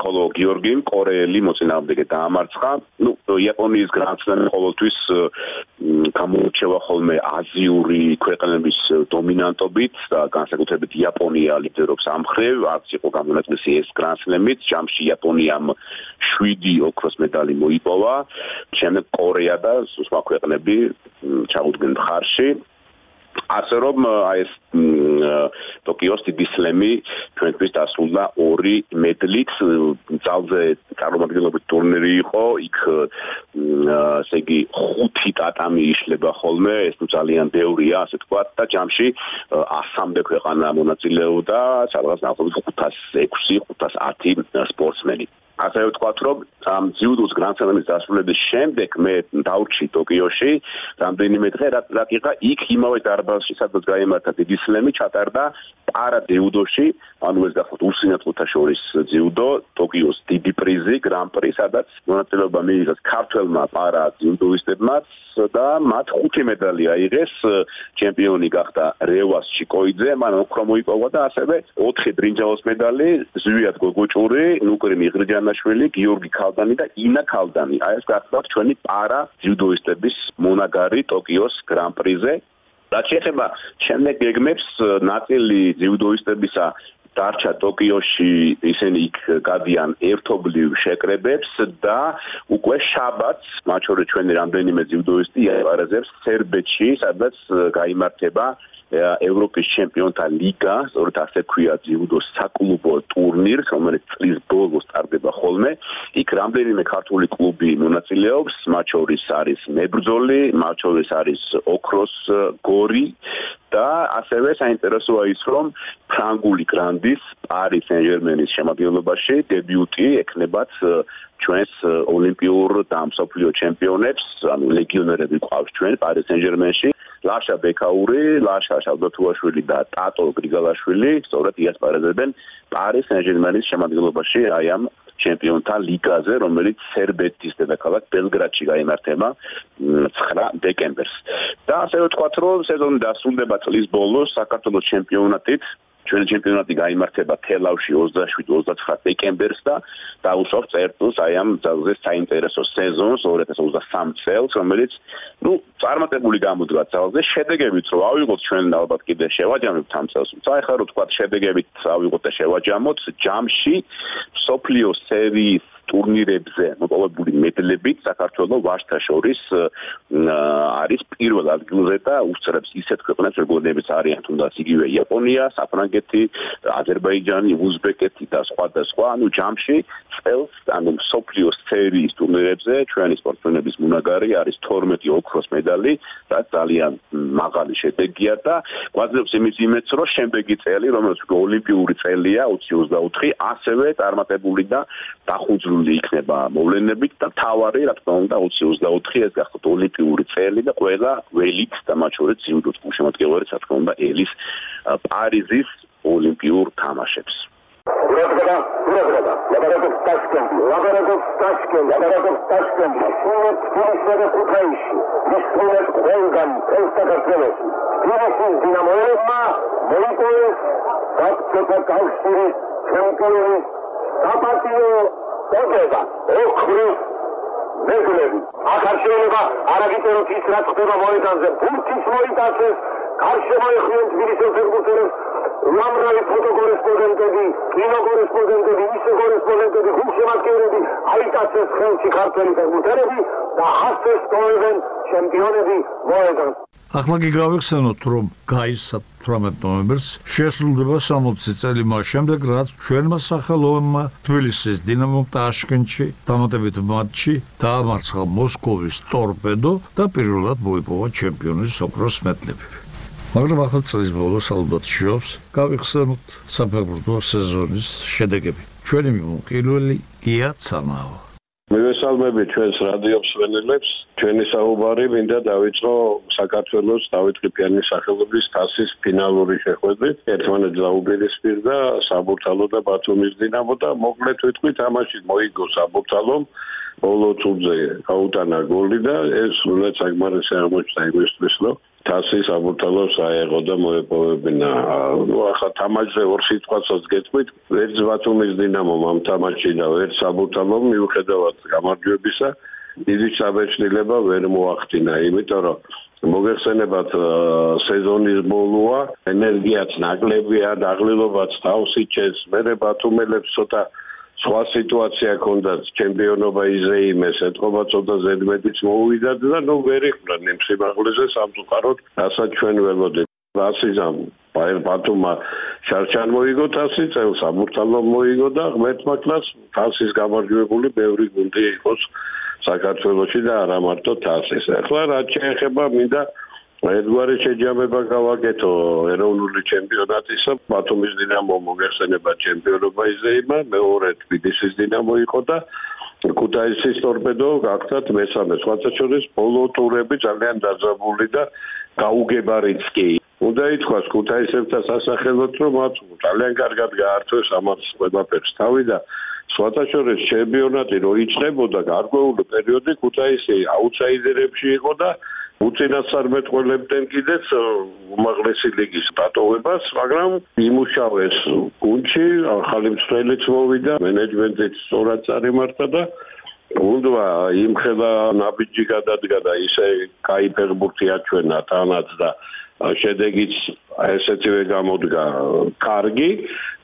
ხოლო გიორგიმ კორეელი მოწინააღმდეგე დაამარცხა. ნუ იაპონიის გრანდსლემი ყოველთვის გამოირჩევა ხოლმე აზიური ქვეყნების დომინანტობით და განსაკუთრებით იაპონია ლიდერობს ამ მხრივ, არც იყო გამონაკლისი ეს გრანდსლემიც, ჯამში იაპონიამ შვიდი ოქროს медали მოიპოვა, შემდეგ კორეა და სხვა ქვეყნები ჩაუდგნენ მხარში. ასე რომ აი ეს ტოკიოს დიდი სლემი ჩვენთვის დასრულდა ორი მედლით ძალზე წარმომადგენლობის ტურნირი იყო იქ ესე იგი ხუთი ტატამი იშლება ხოლმე ეს ნუ ძალიან ბევრია ასე თქვა და ჯამში ასამდე ქვეყანა მონაწილეობდა სადღაც ნახოთ ხუთას ექვსი ხუთას ათი სპორტსმენი ასე ვთქვათ რომ ამ ძიუდოს გრანდსლემის დასრულების შემდეგ მე დავრჩი ტოკიოში რამდენიმე დღე რატიყა იქ იმავე დარბაზში სადაც გაიმართა დიდი სლემი ჩატარდა პარა ძიუდოში ანუ ეს გახლავთ უსინათლოთა შორის ძიუდო ტოკიოს დიდი პრიზი გრან პრი სადაც მონაწილეობა მიიღეს ქართველმა პარა ძიუდოისტებმა და მათ ხუთი медали აიღეს ჩემპიონი გახდა რევას ჩიკოიძე მან ოქრო მოიპოვა და ასევე ოთხი ბრინჯაოს медали ზვიად გოგოჭური ნუკრი მიღრიჯანაშვილი გიორგი ქალდანი და ინა ქალდანი აი ეს გახლავთ ჩვენი პარა ძიუდოისტების მონაგარი ტოკიოს გრან პრიზე რაც შეეხება შემდეგ გეგმებს ნაწილი ძიუდოისტებისა დარჩა ტოკიოში ისინი იქ გადიან ერთობლივ შეკრებებს და უკვე შაბათს მათ შორის ჩვენი რამდენიმე ძიუდოისტი იაპარეზებს სერბეთში სადაც გაიმართება ევროპის ჩემპიონთა ლიგა, სწორედ ასე ქვია ძიუდოს საკლუბო ტურნირს, რომელიც წლის ბოლოს ტარდება ხოლმე. იქ რამდენიმე ქართული კლუბი მონაწილეობს, მათ შორის არის მებრძოლი, მათ შორის არის ოქროს გორი და ასევე საინტერესოა ის, რომ ფრანგული გრანდის პარი სენ-ჟერმენის შემადგენლობაში დებიუტი ექნებათ ჩვენს ოლიმპიურ და მსოფლიო ჩემპიონებს, ანუ ლეგიონერები ყავს ჩვენ პარი სენ-ჟერმენში. ლაშა ბექაური, ლაშა შალდათუაშვილი და ტატო გრიგალაშვილი სწორედ იასპარეზებენ პარი სენ-ჟერმენის შემადგენლობაში აი ამ ჩემპიონთა ლიგაზე, რომელიც სერბეთის დედაქალაქ ბელგრადში გაიმართება ცხრა დეკემბერს. და ასე ვთქვათ, რომ სეზონი დასრულდება წლის ბოლოს საქართველოს ჩემპიონატით. ჩვენი ჩემპიონატი გაიმართება თელავში ოცდაშვიდ ოცდაცხრა დეკემბერს და დაუსვამს წერტილს აი ამ ძალზე საინტერესო სეზონს ორი ათას ოცდასამი წელს, რომელიც ნუ წარმატებული გამოდგა ძალზე, შედეგებით რომ ავიღოთ ჩვენ ალბათ კიდე შევაჯამებთ ამ წელს. თუმცა ახლა რო თქვა შედეგებით ავიღოთ და შევაჯამოთ, ჯამში სოფლიო სერიის ტურნირებზე მოპოვებული მედლებით საქართველოს ვაჟთა შორის არის პირველ ადგილზე და უსწრებს ისეთ ქვეყნებს როგორებიც არიან თუნდაც იგივე იაპონია, საფრანგეთი, აზერბაიჯანი, უზბეკეთი და სხვა და სხვა, ანუ ჯამში წელს ანუ სოფლიო სერიის ტურნირებზე ჩვენი სპორტსმენების მონაგარი არის თორმეტი ოქროს медали, რაც ძალიან მაღალი შედეგია და გვაძლევს იმის იმედს, რომ შემდეგი წელი, რომელიც ოლიმპიური წელია ოცი ოცდაოთხი, ასევე წარმატებული და დახუძრული იქნება მოვლენებით და თავარი რა თქმა უნდა ოცი ოცდაოთხი ეს გახდათ ოლიმპიური წელი და ყველა ველით და მათ შორის ძიუდოს გულშემატკივარი რა თქმა უნდა ელის პარიზის ოლიმპიურ თამაშებს. Урагада, урагада, лаборатов Ташкент, лаборатов Ташкент, лаборатов Ташкент, шумит финишера Кутаиши, вишумет Хонган, Константинович, финиши Динамоевма, Молитоев, Капцота Кавшири, чемпионы, Сапатио, Огеда, Охри, Медлеви. Ახარშენება არაგიტეროთ ის რაც ხდება მოედანზე, ფუნქციის მოიტანეს, გარშემოეხმიან თბილისის ფეხბურთელებს, უამრავი ფოტოკორესპონდენტები, კინოკორესპონდენტები, ისე კორესპონდენტები, გულშემატკივრები, აიტაცეს ხელში ქართველი ფეხბურთელები, და ასე სწორებენ ჩემპიონები მოედანს. ახლა კი გავიხსენოთ, რომ გაისა თვრამეტ ნოემბერს შესრულდება სამოცი წელი მას შემდეგ, რაც ჩვენმა სახელოვანმა თბილისის დინამომ ტაშკენტში დამატებით მატჩი დაამარცხა მოსკოვის ტორპედო და პირველად მოიპოვა ჩემპიონის ოქროს მედლები. მაგრამ ახლა წლის ბოლოს ალბათ შეობს გავიხსენოთ საფეხბურთო სეზონის შედეგები. ჩვენი მიმოყილველი გია ცანაო. მივესალმები ჩვენს რადიო მსმენელებს. ჩვენი საუბარი მინდა დავიწყო საქართველოს დავით ყიფიანის სახელობის თასის ფინალური შეხვედრით. ერთმანეთს დაუპირისპირდა საბურთალო და ბათუმის დინამო და მოკლედ ვიტყვი თამაში მოიგო საბურთალომ. ბოლო წუთზე გაუტანა გოლი და ეს უნდა საკმარისი აღმოჩნდა იმისთვის, რომ თასი საბურთალოს აეღო და მოეპოვებინა. ნუ ახლა თამაშზე ორ სიტყვასაც გეტყვით, ერთ ბათუმის დინამომ ამ თამაშში და ერთ საბურთალომ მიუხედავად გამარჯვებისა დიდი საბეჭდილება ვერ მოახდინა, იმიტომ რომ მოგეხსენებათ სეზონის ბოლოა, ენერგიაც ნაკლებია, დაღლილობაც თავს იჩენს, მერე ბათუმელებს ცოტა სხვა სიტუაცია ჰქონდათ, ჩემპიონობა იზეიმეს, ეთყობა ცოტა ზედმეტიც მოუვიდათ და ნუ ვერ იყვნენ იმ სიმაღლეზე სამწუხაროდ, რასაც ჩვენ ველოდებით. ასიზამ ბათუმმა შარშან მოიგო თასი, წელს საბურთალომ მოიგო და ღმერთმა კლას თასის გამარჯვებული ბევრი გუნდი იყოს საქართველოში და არა მარტო თასის. ახლა რაც შეეხება მინდა ერთგვარი შეჯამება გავაკეთო ეროვნული ჩემპიონატისა. ბათუმის დინამო მოგეხსენება ჩემპიონობა იზეიმა, მეორე თბილისის დინამო იყო და ქუთაისის ტორპედო გახდათ მესამე. სხვათა შორის ბოლო ტურები ძალიან დაძაბული და გაუგებარიც კი. უნდა ითქვას ქუთაისებთან სასახელოდ, რომ მათ ძალიან კარგად გაართვეს ამას ყველაფერს თავი და სხვათა შორის ჩემპიონატი რო იწყებოდა გარკვეული პერიოდი ქუთაისი აუტსაიდერებში იყო და უწინასწარმეტყველებდნენ კიდეც უმაღლესი ლიგის დატოვებას, მაგრამ იმუშავეს გუნდში, ახალი მსვლელიც მოვიდა, მენეჯმენტიც სწორად წარიმართა და გუნდმა იმხელა ნაბიჯი გადადგა და ისე კაი ფეხბურთი აჩვენა თანაც და შედეგიც ესეთივე გამოდგა კარგი,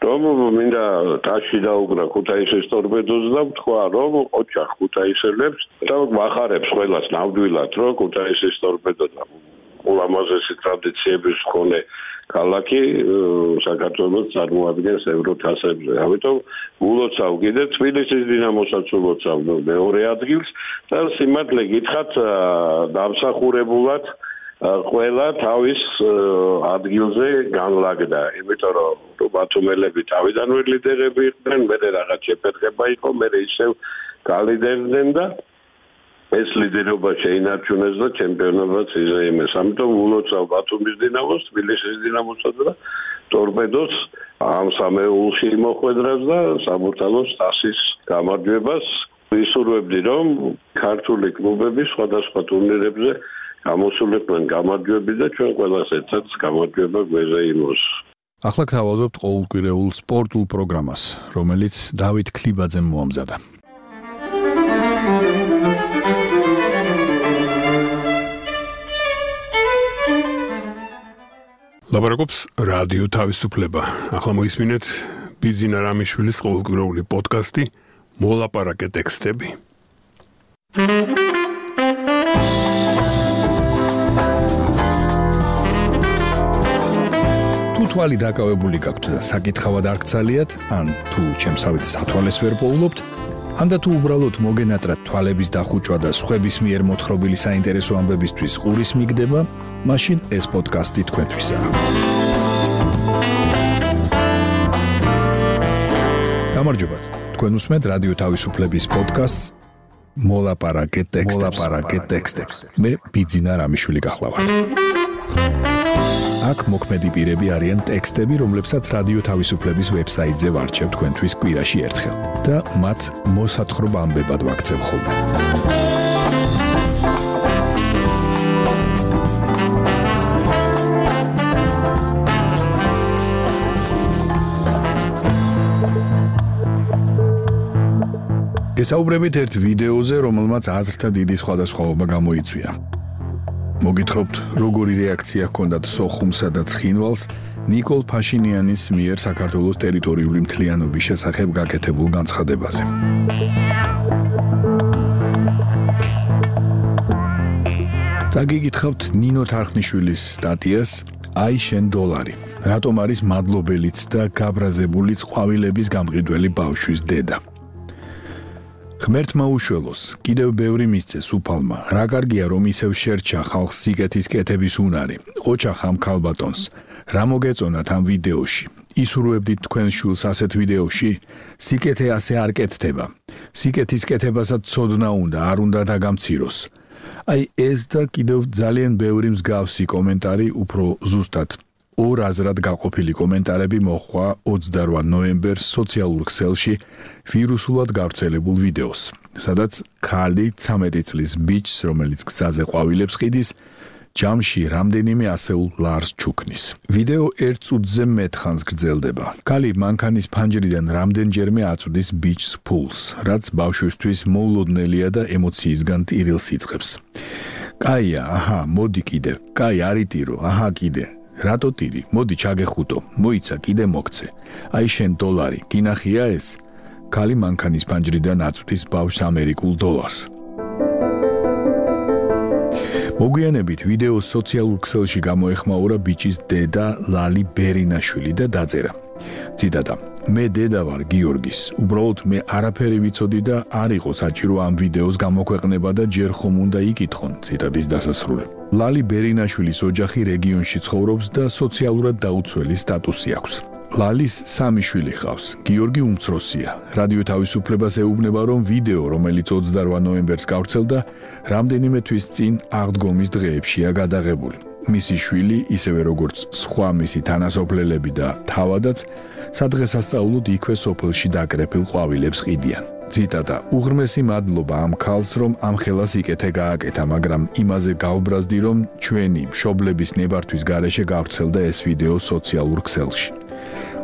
რომ მინდა ტაში დაუგრა ქუთაისის ტორპედოს და თქვა, რომ ოჩახ ქუთაისელებს და ვახარებს ყველას ნამდვილად, რომ ქუთაისის ტორპედო და ულამაზესი ტრადიციების მქონე ქალაქი საქართველოს წარმოადგენს ევროთასებზე. ამიტომ ულოცავ კიდე თბილისის დინამოსაც ულოცავ მეორე ადგილს და სიმართლე გითხრათ დამსახურებულად ყველა თავის ადგილზე განლაგდა, იმიტომ რომ ბათუმელები თავიდანვე ლიდერები იყვნენ, მერე რაღაც შეფერხება იყო, მერე ისევ გალიდერდნენ და ეს ლიდერობა შეინარჩუნეს და ჩემპიონობაც იზეიმეს. ამიტომ ულოცავ ბათუმის დინამოს, თბილისის დინამოსა და ტორპედოს ამ სამეულში მოხვედრას და საბურთალოს თასის გამარჯვებას. ვისურვებდი, რომ ქართული კლუბები სხვადასხვა ტურნირებზე გამოსულიყვნენ გამარჯვები და ჩვენ ყველას ერთად გამარჯვება გვეზეიმოს. ახლა გავაზობთ ყოველკვირეულ სპორტულ პროგრამას, რომელიც დავით ქლიბაძემ მოამზადა. ლაპარაკობს რადიო თავისუფლება. ახლა მოისმინეთ ბიძინა რამიშვილის ყოველკვირეული პოდკასტი მოლაპარაკე ტექსტები. თუ თვალი დაკავებული გაქვთ და საკითხავად არ გცალიათ, ან თუ ჩემსავით სათვალეს ვერ პოულობთ, ან და თუ უბრალოდ მოგენატრათ თვალების დახუჭვა და სხვების მიერ მოთხრობილი საინტერესო ამბებისთვის ყურის მიგდება, მაშინ ეს პოდკასტი თქვენთვისაა. გამარჯობათ. თქვენ უსმენთ რადიო თავისუფლების პოდკასტს მოლაპარაკე ტექსტებს. მე ბიძინა რამიშვილი გახლავართ. აქ მოქმედი პირები არიან ტექსტები, რომლებსაც რადიო თავისუფლების ვებსაიტზე ვარჩევ თქვენთვის კვირაში ერთხელ და მათ მოსათხრობ ამბებად ვაქცევ ხოლმე. გესაუბრებით ერთ ვიდეოზე, რომელმაც აზრთა დიდი სხვადასხვაობა გამოიწვია. მოგითხრობთ, როგორი რეაქცია ჰქონდათ სოხუმსა და ცხინვალს ნიკოლ ფაშინიანის მიერ საქართველოს ტერიტორიული მთლიანობის შესახებ გაკეთებულ განცხადებაზე. წაგიგითხავთ ნინო თარხნიშვილის სტატიას აი შენ დოლარი. რატომ არის მადლობელიც და გაბრაზებულიც ყვავილების გამყიდველი ბავშვის დედა? ღმერთმა უშველოს, კიდევ ბევრი მისცეს უფალმა. რა კარგია რომ ისევ შერჩა ხალხს სიკეთის კეთების უნარი. ოჩახ ამ ქალბატონს. რა მოგეწონათ ამ ვიდეოში? ისურვებდით თქვენს შვილს ასეთ ვიდეოში? სიკეთე ასე არ კეთდება. სიკეთის კეთებასაც ცოდნა უნდა, არ უნდა დაგამციროს. აი ეს და კიდევ ძალიან ბევრი მსგავსი კომენტარი უფრო ზუსტად ორ აზრად გაყოფილი კომენტარები მოჰყვა ოცდარვა ნოემბერს სოციალურ ქსელში ვირუსულად გავრცელებულ ვიდეოს, სადაც ქალი ცამეტი წლის ბიჭს, რომელიც გზაზე ყვავილებს ყიდის, ჯამში რამდენიმე ასეულ ლარს ჩუქნის. ვიდეო ერთ წუთზე მეტ ხანს გრძელდება. ქალი მანქანის ფანჯრიდან რამდენჯერმე აწვდის ბიჭს ფულს, რაც ბავშვისთვის მოულოდნელია და ემოციისგან ტირილს იწყებს. კაია, აჰა, მოდი კიდე. კაი, არიტირო, აჰა, კიდე. რატო ტირი? მოდი ჩაგეხუტო. მოიცა, კიდე მოგცე. აი შენ დოლარი, გინახია ეს? ქალი მანქანის ფანჯრიდან აწვდის ბავშვს ამერიკულ დოლარს. მოგვიანებით ვიდეოს სოციალურ ქსელში გამოეხმაურა ბიჭის დედა ლალი ბერინაშვილი და დაწერა. ციტატა: მე დედა ვარ გიორგის. უბრალოდ მე არაფერი ვიცოდი და არ იყო საჭირო ამ ვიდეოს გამოქვეყნება და ჯერ ხომ უნდა იკითხონ. ციტატის დასასრული. ლალი ბერინაშვილის ოჯახი რეგიონში ცხოვრობს და სოციალურად დაუცველი სტატუსი აქვს. ლალის სამი შვილი ჰყავს. გიორგი უმცროსია. რადიო თავისუფლებას ეუბნება, რომ ვიდეო, რომელიც ოცდარვა ნოემბერს გავრცელდა, რამდენიმე თვის წინ აღდგომის დღეებშია გადაღებული. მისი შვილი, ისევე როგორც სხვა მისი თანასოფლელები და თავადაც, სადღესასწაულოდ იქვე სოფელში დაკრეფილ ყვავილებს ყიდიან. ციტატა: უღრმესი მადლობა ამ ქალს, რომ ამ ხელას იკეთე გააკეთა, მაგრამ იმაზე გავბრაზდი, რომ ჩვენი მშობლების ნებართვის გარეშე გავრცელდა ეს ვიდეო სოციალურ ქსელში.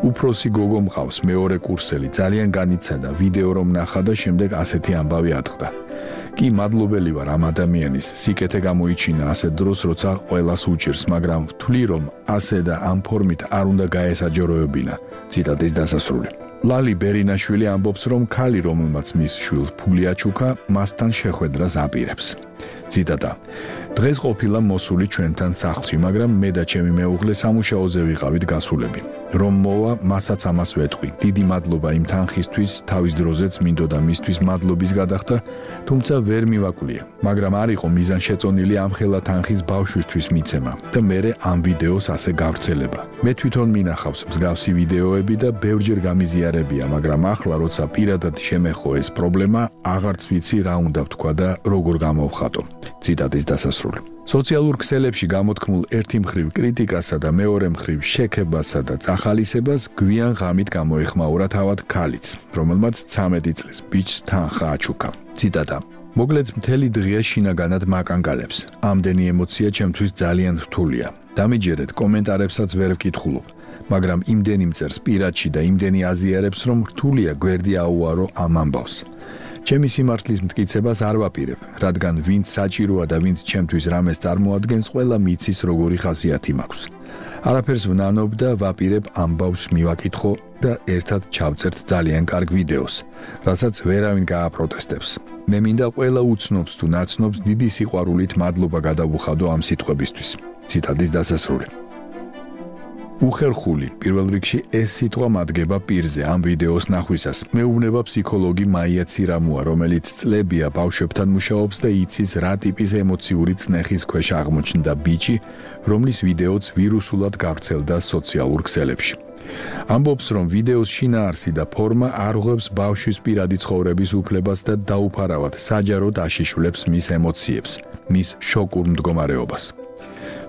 უფროსი გოგო მყავს, მეორე კურსელი, ძალიან განიცადა, ვიდეო რომ ნახა და შემდეგ ასეთი ამბავი ატყდა. კი მადლობელი ვარ ამ ადამიანის, სიკეთე გამოიჩინა ასეთ დროს, როცა ყველას უჭირს, მაგრამ ვთვლი, რომ ასე და ამ ფორმით არ უნდა გაესაჯაროებინა. ციტატის დასასრული. ლალი ბერინაშვილი ამბობს, რომ ქალი, რომელმაც მის შვილს ფული აჩუქა, მასთან შეხვედრას აპირებს. ციტატა: დღეს ყოფილა მოსული ჩვენთან სახლში, მაგრამ მე და ჩემი მეუღლე სამუშაოზე ვიყავით გასულები. რომ მოვა, მასაც ამას ვეთყვი. დიდი მადლობა იმ თანხისთვის, თავის დროზეც მინდოდა მისთვის მადლობის გადახდა, თუმცა ვერ მივაკლია. მაგრამ არ იყო მიზანშეწონილი ამ ხელა თანხის ბავშვისთვის მიცემა და მერე ამ ვიდეოს ასე გავრცელება. მე თვითონ მინახავს მსგავსი ვიდეოები და ბევრჯერ გამიზიარებია, მაგრამ ახლა როცა პირადად შემეხო ეს პრობლემა, აღარც ვიცი რა უნდა ვთქვა და როგორ გამოვხატო. ციტატის დასასრული. სოციალურ ქსელებში გამოთქმულ ერთი მხრივ კრიტიკასა და მეორე მხრივ შექებასა და წახალისებას გვიან ღამით გამოეხმაურა თავად ქალიც, რომელმაც ცამეტი წლის ბიჭს თანხა აჩუქა. ციტატა: მოგლედ მთელი დღე შინაგანად მაკანგალებს. ამდენი ემოცია ჩემთვის ძალიან რთულია. დამიჯერეთ, კომენტარებსაც ვერ ვკითხულობ, მაგრამ იმდენი მწერს პირადში და იმდენი აზიარებს, რომ რთულია გვერდი აუარო ამ ამბავს. ჩემი სიმართლის მტკიცებას არ ვაპირებ, რადგან ვინც საჭიროა და ვინც ჩემთვის რამეს წარმოადგენს, ყველა მიცის როგორი ხასიათი მაქვს. არაფერს ვნანობ და ვაპირებ ამ ბავშვს მივაკითხო და ერთად ჩავწერთ ძალიან კარგ ვიდეოს, რასაც ვერავინ გააპროტესტებს. მე მინდა ყველა უცნობს თუ ნაცნობს დიდი სიყვარულით მადლობა გადავუხადო ამ სიტყვებისთვის. ციტატის დასასრული. უხერხული, პირველ რიგში ეს სიტყვა მადგება პირზე ამ ვიდეოს ნახვისას. მეუბნება ფსიქოლოგი მაია ცირამუა, რომელიც წლებია ბავშვებთან მუშაობს და იცის რა ტიპის ემოციური წნეხის ქვეშ აღმოჩნდა ბიჭი, რომლის ვიდეოც ვირუსულად გავრცელდა სოციალურ ქსელებში. ამბობს, რომ ვიდეოს შინაარსი და ფორმა არ ღვევს ბავშვის პირადი ცხოვრების უფლებას და დაუფარავად საჯაროდ აშიშვლებს მის ემოციებს, მის შოკურ მდგომარეობას.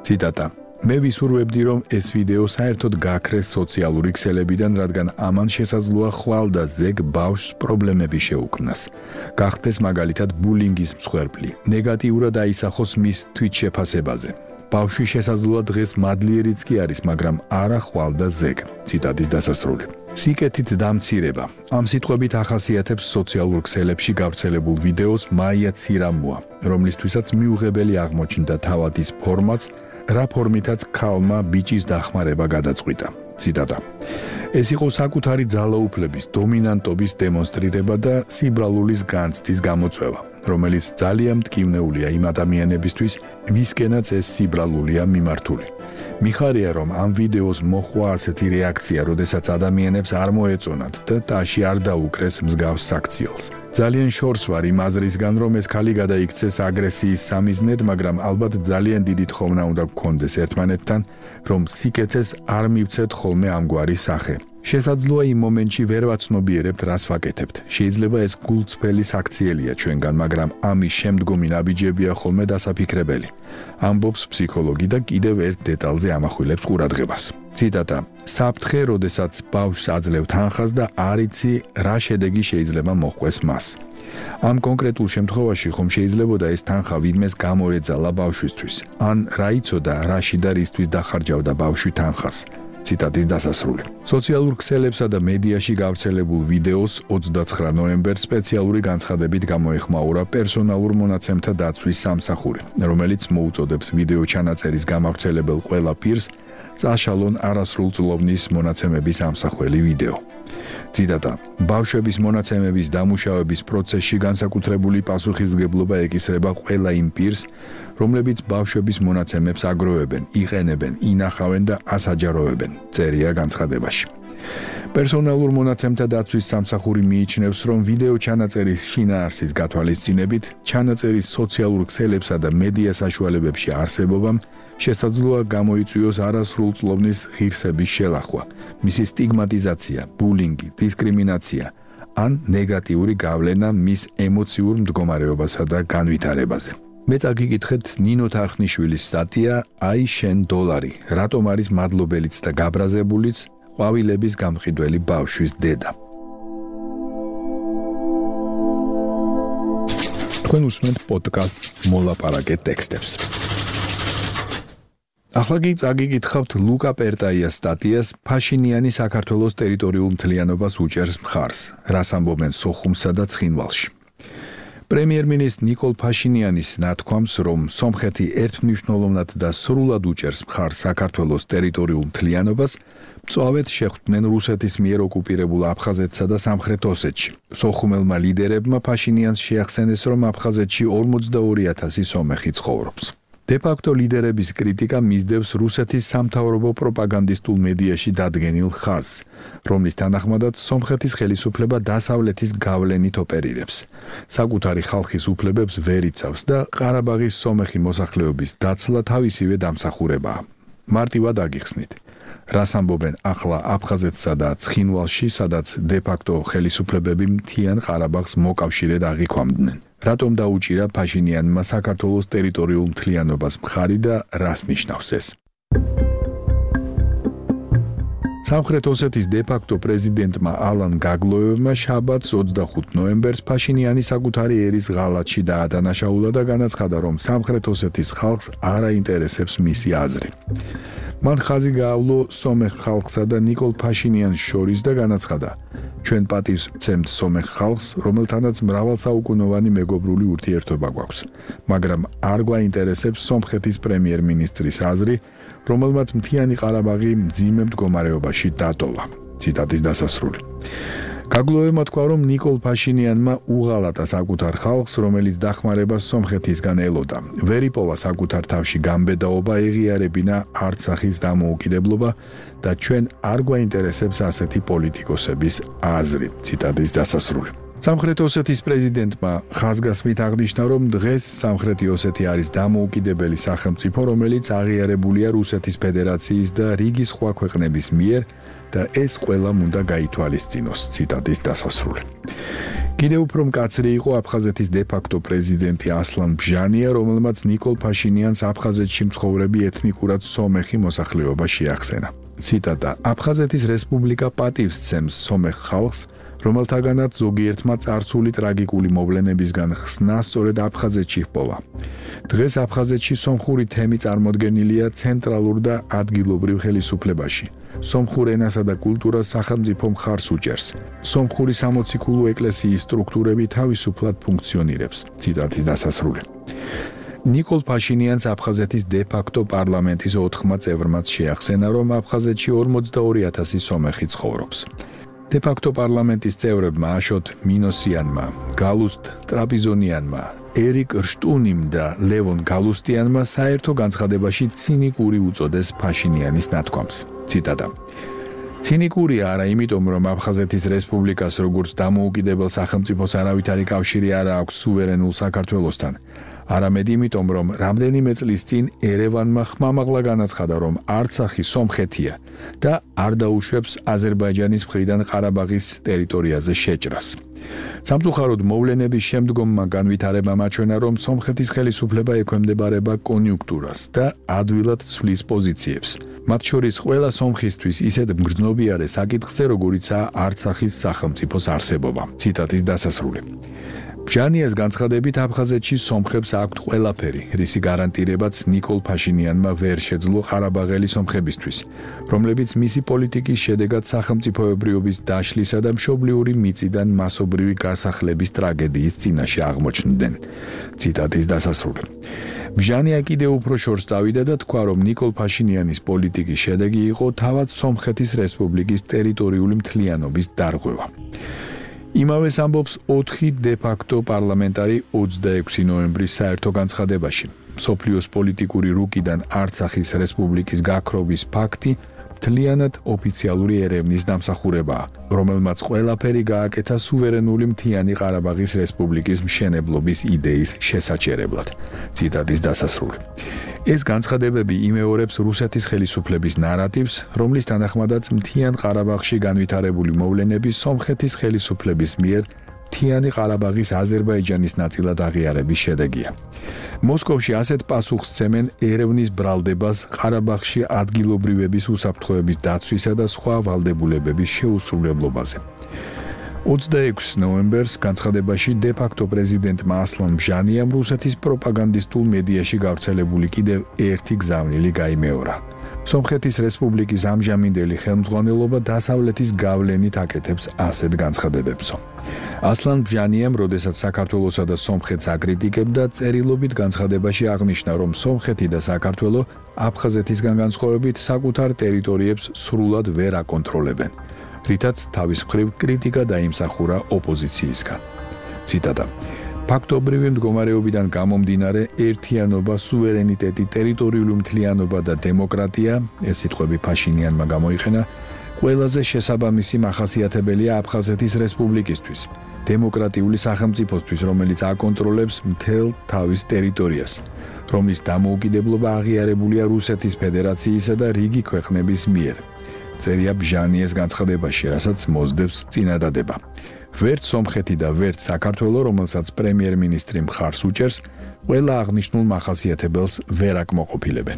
ციტატა: მე ვისურვებდი, რომ ეს ვიდეო საერთოდ გაქრეს სოციალური ქსელებიდან, რადგან ამან შესაძლოა ხვალ და ზეგ ბავშვს პრობლემები შეუქმნას. გახდეს მაგალითად ბულინგის მსხვერპლი, ნეგატიურად აისახოს მის თვითშეფასებაზე. ბავშვი შესაძლოა დღეს მადლიერიც კი არის, მაგრამ არა ხვალ და ზეგ. ციტატის დასასრული. სიკეთით დამცირება. ამ სიტყვებით ახასიათებს სოციალურ ქსელებში გავრცელებულ ვიდეოს მაია ცირამუა, რომლისთვისაც მიუღებელი აღმოჩნდა თავად ის ფორმაც, რა ფორმითაც ქალმა ბიჭის დახმარება გადაწყვიტა. ციტატა. ეს იყო საკუთარი ძალაუფლების დომინანტობის დემონსტრირება და სიბრალულის განცდის გამოწვევა, რომელიც ძალიან მტკივნეულია იმ ადამიანებისთვის, ვისკენაც ეს სიბრალულია მიმართული. მიხარია, რომ ამ ვიდეოს მოხვა ასეთი რეაქცია, როდესაც ადამიანებს არ მოეწონათ და ტაში არ დაუკრეს მსგავს საქციელს. ძალიან შორს ვარ იმ აზრისგან, რომ ეს ქალი გადაიქცეს აგრესიის სამიზნედ, მაგრამ ალბათ ძალიან დიდი თხოვნა უნდა გქონდეს ერთმანეთთან, რომ სიკეთეს არ მივცეთ ხოლმე ამგვარი სახე. შესაძლოა იმ მომენტში ვერ ვაცნობიერებთ, რას ვაკეთებთ. შეიძლება ეს გულწრფელი საქციელია ჩვენგან, მაგრამ ამის შემდგომი ნაბიჯებია ხოლმე დასაფიქრებელი. ამბობს ფსიქოლოგი და კიდევ ერთ დეტალზე ამახვილებს ყურადღებას. ციტატა: საფრთხე, როდესაც ბავშვს აძლევ თანხას და არ იცი, რა შედეგი შეიძლება მოჰყვეს მას. ამ კონკრეტულ შემთხვევაში ხომ შეიძლებოდა ეს თანხა ვინმეს გამოეძალა ბავშვისთვის, ან რა იცოდა, რაში და რისთვის დახარჯავდა ბავშვი თანხას. ციტატის დასასრული. სოციალურ ქსელებსა და მედიაში გავრცელებულ ვიდეოს ოცდაცხრა ნოემბერს სპეციალური განცხადებით გამოეხმაურა პერსონალურ მონაცემთა დაცვის სამსახური, რომელიც მოუწოდებს ვიდეო ჩანაწერის გამავრცელებელ ყველა პირს წაშალონ არასრულწლოვნის მონაცემების ამსახველი ვიდეო. ციტატა: ბავშვების მონაცემების დამუშავების პროცესში განსაკუთრებული პასუხისმგებლობა ეკისრება ყველა იმ პირს, რომლებიც ბავშვების მონაცემებს აგროვებენ, იყენებენ, ინახავენ და ასაჯაროებენ, წერია განცხადებაში. პერსონალურ მონაცემთა დაცვის სამსახური მიიჩნევს, რომ ვიდეო ჩანაწერის შინაარსის გათვალისწინებით, ჩანაწერის სოციალურ ქსელებსა და მედია საშუალებებში არსებობამ შესაძლოა გამოიწვიოს არასრულწლოვნის ღირსების შელახვა, მისი სტიგმატიზაცია, ბულინგი, დისკრიმინაცია ან ნეგატიური გავლენა მის ემოციურ მდგომარეობასა და განვითარებაზე. მე წაგიკითხეთ ნინო თარხნიშვილის სტატია „აი შენ დოლარი, რატომ არის მადლობელიც და გაბრაზებულიც ყვავილების გამყიდველი ბავშვის დედა“. თქვენ უსმენთ პოდკასტს მოლაპარაკე ტექსტებს. ახლა კი წაგიკითხავთ ლუკა პერტაიას სტატიას „ფაშინიანი საქართველოს ტერიტორიულ მთლიანობას უჭერს მხარს, რას ამბობენ სოხუმსა და ცხინვალში“. პრემიერ-მინისტრ ნიკოლ ფაშინიანის ნათქვამს, რომ სომხეთი ერთმნიშვნელოვნად და სრულად უჭერს მხარს საქართველოს ტერიტორიულ მთლიანობას, მწვავედ შეხვდნენ რუსეთის მიერ ოკუპირებულ აფხაზეთსა და სამხრეთ ოსეთში. სოხუმელმა ლიდერებმა ფაშინიანს შეახსენეს, რომ აფხაზეთში ორმოცდაორი ათასი სომეხი ცხოვრობს. დე-ფაქტო ლიდერების კრიტიკა მისდევს რუსეთის სამთავრობო პროპაგანდისტულ მედიაში დადგენილ ხაზს, რომლის თანახმადაც სომხეთის ხელისუფლება დასავლეთის გავლენით ოპერირებს, საკუთარი ხალხის უფლებებს ვერ იცავს და ყარაბაღის სომეხი მოსახლეობის დაცლა თავისივე დამსახურებაა. მარტივად აგიხსნით. რას ამბობენ ახლა აფხაზეთსა და ცხინვალში, სადაც დე-ფაქტო ხელისუფლებები მთიან ყარაბაღს მოკავშირედ აღიქვამდნენ. რატომ დაუჭირა ფაშინიანმა საქართველოს ტერიტორიულ მთლიანობას მხარი და რას ნიშნავს ეს? სამხრეთ ოსეთის დე-ფაქტო პრეზიდენტმა ალან გაგლოევმა შაბათს ოცდახუთ ნოემბერს ფაშინიანი საკუთარი ერის ღალატში დაადანაშაულა და განაცხადა, რომ სამხრეთ ოსეთის ხალხს არ აინტერესებს მისი აზრი. მან ხაზი გაავლო სომეხ ხალხსა და ნიკოლ ფაშინიანს შორის და განაცხადა, ჩვენ პატივს ვცემთ სომეხ ხალხს, რომელთანაც მრავალსაუკუნოვანი მეგობრული ურთიერთობა გვაქვს, მაგრამ არ გვაინტერესებს სომხეთის პრემიერ-მინისტრის აზრი, რომელმაც მთიანი ყარაბაღი მძიმე მდგომარეობაში დატოვა. ციტატის დასასრული. გაგლოევმა თქვა, რომ ნიკოლ ფაშინიანმა უღალატა საკუთარ ხალხს, რომელიც დახმარებას სომხეთისგან ელოდა. ვერ იპოვა საკუთარ თავში გამბედაობა, ეღიარებინა არც სახის დამოუკიდებლობა და ჩვენ არ გვაინტერესებს ასეთი პოლიტიკოსების აზრი. ციტატის დასასრული. სამხრეთ ოსეთის პრეზიდენტმა ხაზგასმით აღნიშნა, რომ დღეს სამხრეთი ოსეთი არის დამოუკიდებელი სახელმწიფო, რომელიც აღიარებულია რუსეთის ფედერაციის და რიგი სხვა ქვეყნების მიერ და ეს ყველამ უნდა გაითვალისწინოს. ციტატის დასასრული. კიდევ უფრო მკაცრი იყო აფხაზეთის დე-ფაქტო პრეზიდენტი ასლან ბჟანია, რომელმაც ნიკოლ ფაშინიანს აფხაზეთში მცხოვრები ეთნიკურად სომეხი მოსახლეობა შეახსენა. ციტატა: აფხაზეთის რესპუბლიკა პატივს სცემს სომეხ ხალხს, რომელთაგანაც ზოგიერთმა წარსული ტრაგიკული მოვლენებისგან ხსნა სწორედ აფხაზეთში ჰპოვა. დღეს აფხაზეთში სომხური თემი წარმოდგენილია ცენტრალურ და ადგილობრივ ხელისუფლებაში. სომხურ ენასა და კულტურას სახელმწიფო მხარს უჭერს. სომხური სამოციქულო ეკლესიის სტრუქტურები თავისუფლად ფუნქციონირებს. ციტატის დასასრული. ნიკოლ ფაშინიანს აფხაზეთის დე-ფაქტო პარლამენტის ოთხმა წევრმაც შეახსენა, რომ აფხაზეთში ორმოცდაორი ათასი სომეხი ცხოვრობს. დე-ფაქტო პარლამენტის წევრებმა აშოტ მინოსიანმა, გალუსტ ტრაპიზონიანმა, ერიკ რშტუნიმ და ლევონ გალუსტიანმა საერთო განცხადებაში ცინიკური უწოდეს ფაშინიანის ნათქვამს. ციტატა: ცინიკურია არა იმიტომ, რომ აფხაზეთის რესპუბლიკას როგორც დამოუკიდებელ სახელმწიფოს არავითარი კავშირი არ აქვს სუვერენულ საქართველოსთან. არამედ იმიტომ, რომ რამდენიმე წლის წინ ერევანმა ხმამაღლა განაცხადა, რომ არცახი სომხეთია და არ დაუშვებს აზერბაიჯანის მხრიდან ყარაბაღის ტერიტორიაზე შეჭრას. სამწუხაროდ მოვლენების შემდგომმა განვითარებამ აჩვენა, რომ სომხეთის ხელისუფლება ექვემდებარება კონიუნქტურას და ადვილად ცვლის პოზიციებს. მათ შორის ყველა სომხისთვის ისეთ მგრძნობიარე საკითხზე, როგორიცაა არცახის სახელმწიფოს არსებობა. ციტატის დასასრული. ბჟანიას განცხადებით აფხაზეთში სომხებს აქვთ ყველაფერი, რისი გარანტირებაც ნიკოლ ფაშინიანმა ვერ შეძლო ყარაბაღელი სომხებისთვის, რომლებიც მისი პოლიტიკის შედეგად სახელმწიფოებრიობის დაშლისა და მშობლიური მიწიდან მასობრივი გასახლების ტრაგედიის წინაშე აღმოჩნდნენ. ციტატის დასასრული. ბჟანია კიდევ უფრო შორს წავიდა და თქვა, რომ ნიკოლ ფაშინიანის პოლიტიკის შედეგი იყო თავად სომხეთის რესპუბლიკის ტერიტორიული მთლიანობის დარღვევა. იმავეს ამბობს ოთხი დე-ფაქტო პარლამენტარი ოცდაექვსი ნოემბრის საერთო განცხადებაში. მსოფლიოს პოლიტიკური რუკიდან არცახის რესპუბლიკის გაქრობის ფაქტი მთლიანად ოფიციალური ერევნის დამსახურებაა, რომელმაც ყველაფერი გააკეთა სუვერენული მთიანი ყარაბაღის რესპუბლიკის მშენებლობის იდეის შესაჩერებლად. ციტატის დასასრული. ეს განცხადებები იმეორებს რუსეთის ხელისუფლების ნარატივს, რომლის თანახმადაც მთიან ყარაბაღში განვითარებული მოვლენები სომხეთის ხელისუფლების მიერ მთიანი ყარაბაღის აზერბაიჯანის ნაწილად აღიარების შედეგია. მოსკოვში ასეთ პასუხს სცემენ ერევნის ბრალდებას ყარაბაღში ადგილობრივების უსაფრთხოების დაცვისა და სხვა ვალდებულებების შეუსრულებლობაზე. ოცდაექვსი ნოემბერს განცხადებაში დე-ფაქტო პრეზიდენტმა ასლან ბჟანიამ რუსეთის პროპაგანდისტულ მედიაში გავრცელებული კიდევ ერთი გზავნილი გაიმეორა. სომხეთის რესპუბლიკის ამჟამინდელი ხელმძღვანელობა დასავლეთის გავლენით აკეთებს ასეთ განცხადებებსო. ასლან ბჟანიამ, როდესაც საქართველოსა და სომხეთს აკრიტიკებდა, წერილობით განცხადებაში აღნიშნა, რომ სომხეთი და საქართველო აფხაზეთისგან განსხვავებით საკუთარ ტერიტორიებს სრულად ვერ აკონტროლებენ, რითაც თავის მხრივ კრიტიკა დაიმსახურა ოპოზიციისგან. ციტატა: ფაქტობრივი მდგომარეობიდან გამომდინარე, ერთიანობა, სუვერენიტეტი, ტერიტორიული მთლიანობა და დემოკრატია, ეს სიტყვები ფაშინიანმა გამოიყენა, ყველაზე შესაბამისი მახასიათებელია აფხაზეთის რესპუბლიკისთვის, დემოკრატიული სახელმწიფოსთვის, რომელიც აკონტროლებს მთელ თავის ტერიტორიას, რომლის დამოუკიდებლობა აღიარებულია რუსეთის ფედერაციისა და რიგი ქვეყნების მიერ. წერია ბჟანიეს განცხადებაში, რასაც მოსდევს წინადადება. ვერც სომხეთი და ვერც საქართველო, რომელსაც პრემიერ-მინისტრი მხარს უჭერს, ყველა აღნიშნულ მახასიათებელს ვერ აკმაყოფილებენ.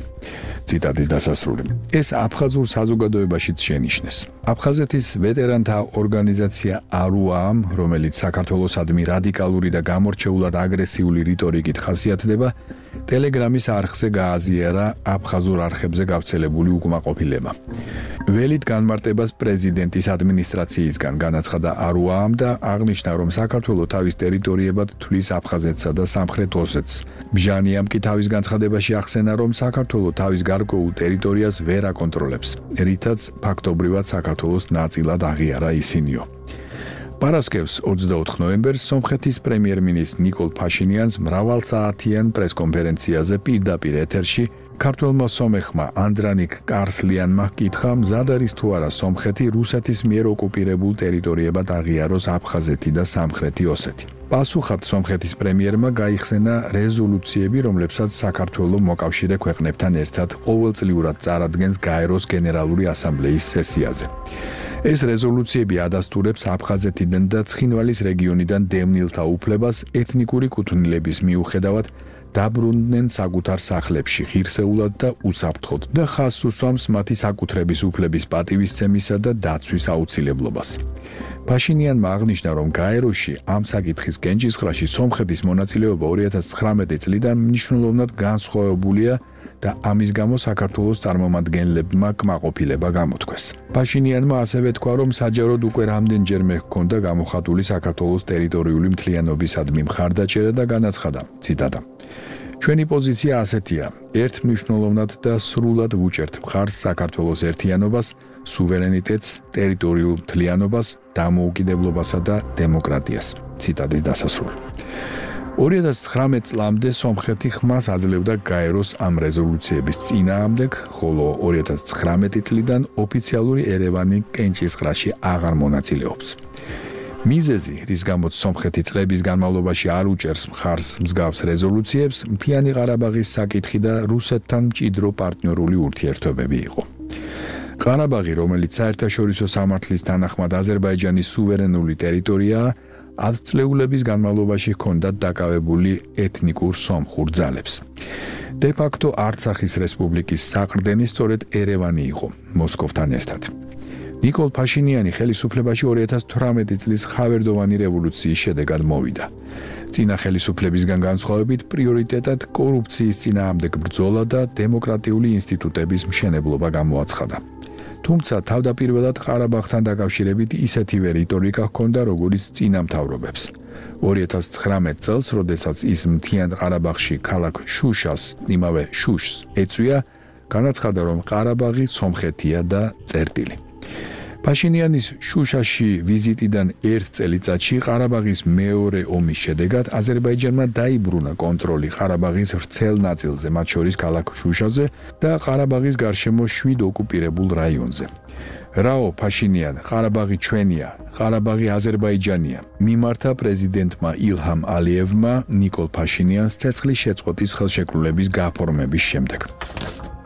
ციტატის დასასრული. ეს აფხაზურ საზოგადოებაშიც შენიშნეს. აფხაზეთის ვეტერანთა ორგანიზაცია არუამ, რომელიც საქართველოსადმი რადიკალური და გამორჩეულად აგრესიული რიტორიკით ხასიათდება, ტელეგრამის არხზე გააზიარა აფხაზურ არხებზე გავრცელებული უკმაყოფილება. ველით განმარტებას პრეზიდენტის ადმინისტრაციისგან განაცხადა არუამ და აღნიშნა, რომ საქართველო თავის ტერიტორიებად თვლის აფხაზეთსა და სამხრეთ ოსეთს. ბჟანიამ კი თავის განცხადებაში ახსენა, რომ საქართველო თავის გარკვეულ ტერიტორიას ვერ აკონტროლებს, რითაც ფაქტობრივად საქართველოს ნაწილად აღიარა ისინიო. პარასკევს ოცდაოთხ ნოემბერს სომხეთის პრემიერ-მინისტრ ნიკოლ ფაშინიანს მრავალსაათიან პრესკონფერენციაზე პირდაპირ ეთერში ქართველმა სომეხმა ანდრანიკ კარსლიანმა ჰკითხა, მზად არის თუ არა სომხეთი რუსეთის მიერ ოკუპირებულ ტერიტორიებად აღიაროს აფხაზეთი და სამხრეთი ოსეთი. პასუხად სომხეთის პრემიერმა გაიხსენა რეზოლუციები, რომლებსაც საქართველო მოკავშირე ქვეყნებთან ერთად ყოველწლიურად წარადგენს გაეროს გენერალური ასამბლეის სესიაზე. ეს რეზოლუციები ადასტურებს აფხაზეთიდან და ცხინვალის რეგიონიდან დევნილთა უფლებას ეთნიკური კუთვნილების მიუხედავად დაბრუნდნენ საკუთარ სახლებში ღირსეულად და უსაფრთხოდ და ხაზს უსვამს მათი საკუთრების უფლების პატივისცემისა და დაცვის აუცილებლობას. ფაშინიანმა აღნიშნა, რომ გაეროში ამ საკითხის კენჭისყრაში სომხეთის მონაწილეობა ორი ათას ცხრამეტი წლიდან მნიშვნელოვნად განსხვავებულია და ამის გამო საქართველოს წარმომადგენლებმა კმაყოფილება გამოთქვეს. ფაშინიანმა ასევე თქვა, რომ საჯაროდ უკვე რამდენჯერმე ჰქონდა გამოხატული საქართველოს ტერიტორიული მთლიანობისადმი მხარდაჭერა და განაცხადა, ციტატა: ჩვენი პოზიცია ასეთია: ერთმნიშვნელოვნად და სრულად ვუჭერთ მხარს საქართველოს ერთიანობას, სუვერენიტეტს, ტერიტორიულ მთლიანობას, დამოუკიდებლობასა და დემოკრატიას. ციტატის დასასრული. ორი ათას ცხრამეტ წლამდე სომხეთი ხმას აძლევდა გაეროს ამ რეზოლუციების წინააღმდეგ, ხოლო ორი ათას ცხრამეტი წლიდან ოფიციალური ერევანი კენჭისყრაში აღარ მონაწილეობს. მიზეზი, რის გამოც სომხეთი წლების განმავლობაში არ უჭერს მხარს მსგავს რეზოლუციებს, მთიანი ყარაბაღის საკითხი და რუსეთთან მჭიდრო პარტნიორული ურთიერთობები იყო. ყარაბაღი, რომელიც საერთაშორისო სამართლის თანახმად აზერბაიჯანის სუვერენული ტერიტორიაა, ათწლეულების განმავლობაში ჰქონდათ დაკავებული ეთნიკურ სომხურ ძალებს. De facto არცახის რესპუბლიკის საყრდენი სწორედ ერევანი იყო, მოსკოვთან ერთად. ნიკოლ ფაშინიანი ხელისუფლებაში ორი ათას თვრამეტი წლის ხავერდოვანი რევოლუციის შედეგად მოვიდა. წინა ხელისუფლებისგან განსხვავებით პრიორიტეტად კორუფციის წინააღმდეგ ბრძოლა და დემოკრატიული ინსტიტუტების მშენებლობა გამოაცხადა. თუმცა თავდაპირველად ყარაბაღთან დაკავშირებით ისეთივე რიტორიკა ჰქონდა, როგორც წინა მთავრობებს. ორი ათას ცხრამეტ წელს, როდესაც ის მთიან ყარაბაღში ქალაქ შუშას, იმავე შუშს ეწვია, განაცხადა, რომ ყარაბაღი სომხეთია და წერტილი. ფაშინიანის შუშაში ვიზიტიდან ერთ წელიწადში ყარაბაღის მეორე ომის შედეგად აზერბაიჯანმა დაიბრუნა კონტროლი ყარაბაღის ვრცელ ნაწილზე, მათ შორის ქალაქ შუშაზე და ყარაბაღის გარშემო შვიდ ოკუპირებულ რაიონზე. რაო ფაშინიან, ყარაბაღი ჩვენია, ყარაბაღი აზერბაიჯანია, მიმართა პრეზიდენტმა ილჰამ ალიევმა ნიკოლ ფაშინიანს ცეცხლის შეწყვეტის ხელშეკრულების გაფორმების შემდეგ.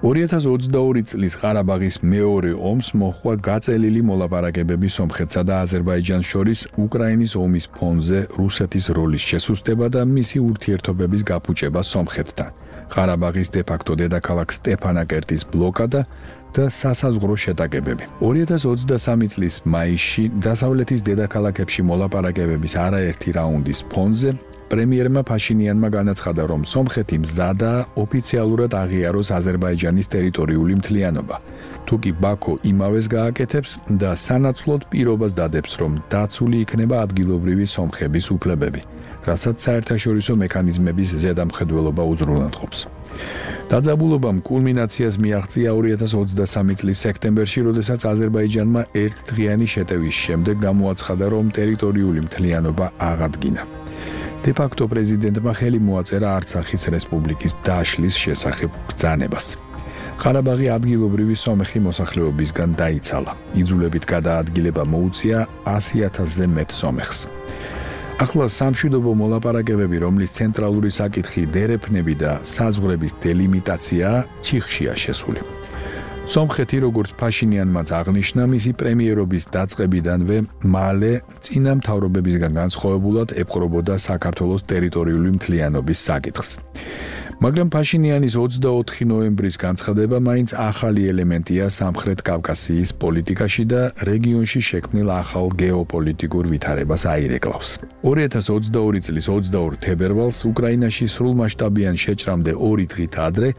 ორი ათას ოცდაორი წლის ყარაბაღის მეორე ომს მოჰყვა გაწელილი მოლაპარაკებები სომხეთსა და აზერბაიჯანს შორის უკრაინის ომის ფონზე რუსეთის როლის შესუსტება და მისი ურთიერთობების გაფუჭება სომხეთთან. ყარაბაღის de facto დედაქალაქ სტეფანაკერტის ბლოკადა და სასაზღვრო შეტაკებები. ორი ათას ოცდასამი წლის მაისში დასავლეთის დედაქალაქებში მოლაპარაკებების არაერთი რაუნდის ფონზე პრემიერმა ფაშინიანმა განაცხადა, რომ სომხეთი მზადაა ოფიციალურად აღიაროს აზერბაიჯანის ტერიტორიული მთლიანობა. თუკი ბაქო იმავეს გააკეთებს და სანაცვლოდ პირობას დადებს, რომ დაცული იქნება ადგილობრივი სომხების უფლებები, რასაც საერთაშორისო მექანიზმების ზედამხედველობა უზრუნველყოფს. დაძაბულობამ კულმინაციას მიაღწია ორი ათას ოცდასამი წლის სექტემბერში, როდესაც აზერბაიჯანმა ერთდღიანი შეტევის შემდეგ გამოაცხადა, რომ ტერიტორიული მთლიანობა აღადგინა. De facto პრეზიდენტმა ხელი მოაწერა არცახის რესპუბლიკის დაშლის შესახებ ბრძანებას. ყარაბაღი ადგილობრივი სომეხი მოსახლეობისგან დაიცალა. იძულებით გადაადგილება მოუწია ასი ათასზე მეტ სომეხს. ახლა სამშვიდობო მოლაპარაკებები, რომლის ცენტრალური საკითხი დერეფნები და საზღვრების დელიმიტაციაა, ჩიხშია შესული. სომხეთი, როგორც ფაშინიანმაც აღნიშნა, მისი პრემიერობის დაწყებიდანვე მალე წინა მთავრობებისგან განსხვავებულად ეპყრობოდა საქართველოს ტერიტორიული მთლიანობის საკითხს. მაგრამ ფაშინიანის ოცდაოთხი ნოემბრის განცხადება მაინც ახალი ელემენტია სამხრეთ კავკასიის პოლიტიკაში და რეგიონში შექმნილ ახალ გეოპოლიტიკურ ვითარებას აირეკლავს. ორი ათას ოცდაორი წლის ოცდაორ თებერვალს უკრაინაში სრულმასშტაბიან შეჭრამდე ორი დღით ადრე,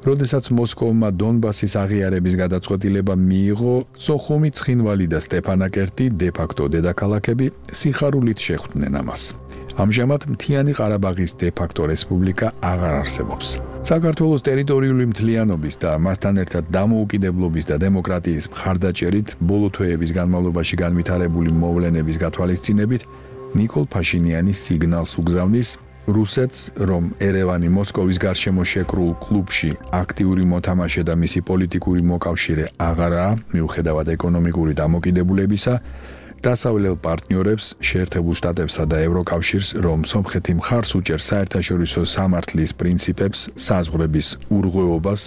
როდესაც მოსკოვმა დონბასის აღიარების გადაწყვეტილება მიიღო, სოხუმი, ცხინვალი და სტეფანაკერტი, de facto დედაქალაქები, სიხარულით შეხვდნენ ამას. ამჟამად მთიანი ყარაბაღის de facto რესპუბლიკა აღარ არსებობს. საქართველოს ტერიტორიული მთლიანობის და მასთან ერთად დამოუკიდებლობის და დემოკრატიის მხარდაჭერით ბოლო თვეების განმავლობაში განვითარებული მოვლენების გათვალისწინებით ნიკოლ ფაშინიანი სიგნალს უგზავნის რუსეთს, რომ ერევანი მოსკოვის გარშემო შეკრულ კლუბში აქტიური მოთამაშე და მისი პოლიტიკური მოკავშირე აღარაა, მიუხედავად ეკონომიკური დამოკიდებულებისა, დასავლელ პარტნიორებს, შეერთებულ შტატებსა და ევროკავშირს, რომ სომხეთი მხარს უჭერს საერთაშორისო სამართლის პრინციპებს, საზღვრების ურღვეობას,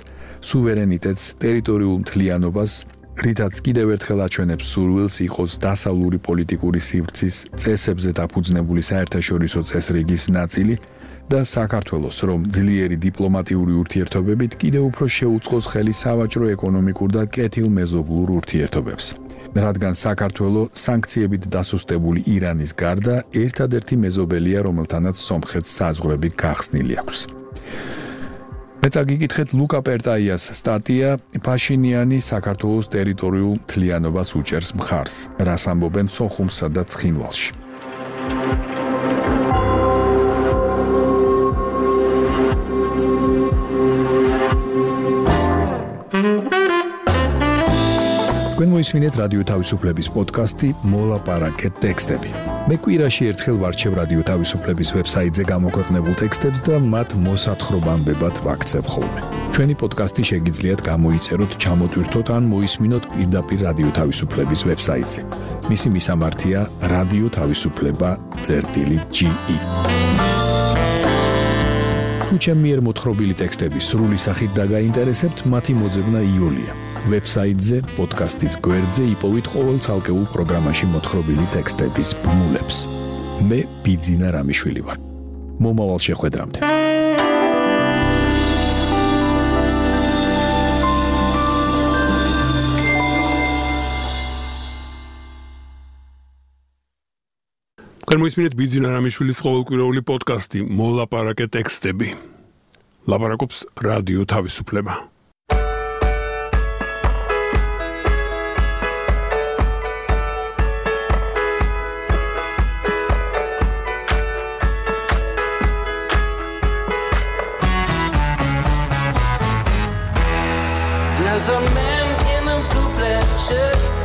სუვერენიტეტს, ტერიტორიულ მთლიანობას, რითაც კიდევ ერთხელ აჩვენებს სურვილს იყოს დასავლური პოლიტიკური სივრცის წესებზე დაფუძნებული საერთაშორისო წესრიგის ნაწილი და საქართველოს, რომ ძლიერი დიპლომატიური ურთიერთობებით კიდევ უფრო შეუწყოს ხელი სავაჭრო-ეკონომიკურ და კეთილმეზობლურ ურთიერთობებს. რადგან საქართველო სანქციებით დასუსტებული ირანის გარდა ერთადერთი მეზობელია, რომელთანაც სომხეთს საზღვრები გახსნილი აქვს. მეც აგიკითხეთ ლუკა პერტაიას სტატია ფაშინიანი საქართველოს ტერიტორიულ მთლიანობას უჭერს მხარს, რას ამბობენ სოხუმსა და ცხინვალში. თქვენ მოისმინეთ რადიო თავისუფლების პოდკასტი მოლაპარაკეთ ტექსტები. მე კვირაში ერთხელ ვარჩევ რადიო თავისუფლების ვებსაიტზე გამოქვეყნებულ ტექსტებს და მათ მოსათხრობამდებად ვაქცევ ხოლმე. ჩვენი პოდკასტი შეგიძლიათ გამოიწეროთ, ჩამოტვირთოთ ან მოისმინოთ პირდაპირ რადიო თავისუფლების ვებსაიტზე. მისი მისამართია რადიო თავისუფლება წერტილი ჯი ი. თუ ჩემი მიერ მოთხრობილი ტექსტები სრული სახით დაგაინტერესებთ, მათი მოძებნა იოლია. ვებსაიტზე, პოდკასტის გვერდზე იპოვით ყოველ ცალკეულ პროგრამაში მოთხრობილი ტექსტების ბმულებს. მე ბიძინა რამიშვილი ვარ. მომავალ შეხვედრამდე. თქვენ მოისმინეთ ბიძინა რამიშვილის ყოველკვირეული პოდკასტი მოლაპარაკეთ ტექსტები. ლაპარაკობს რადიო თავისუფლება. There's a man in a blue black shirt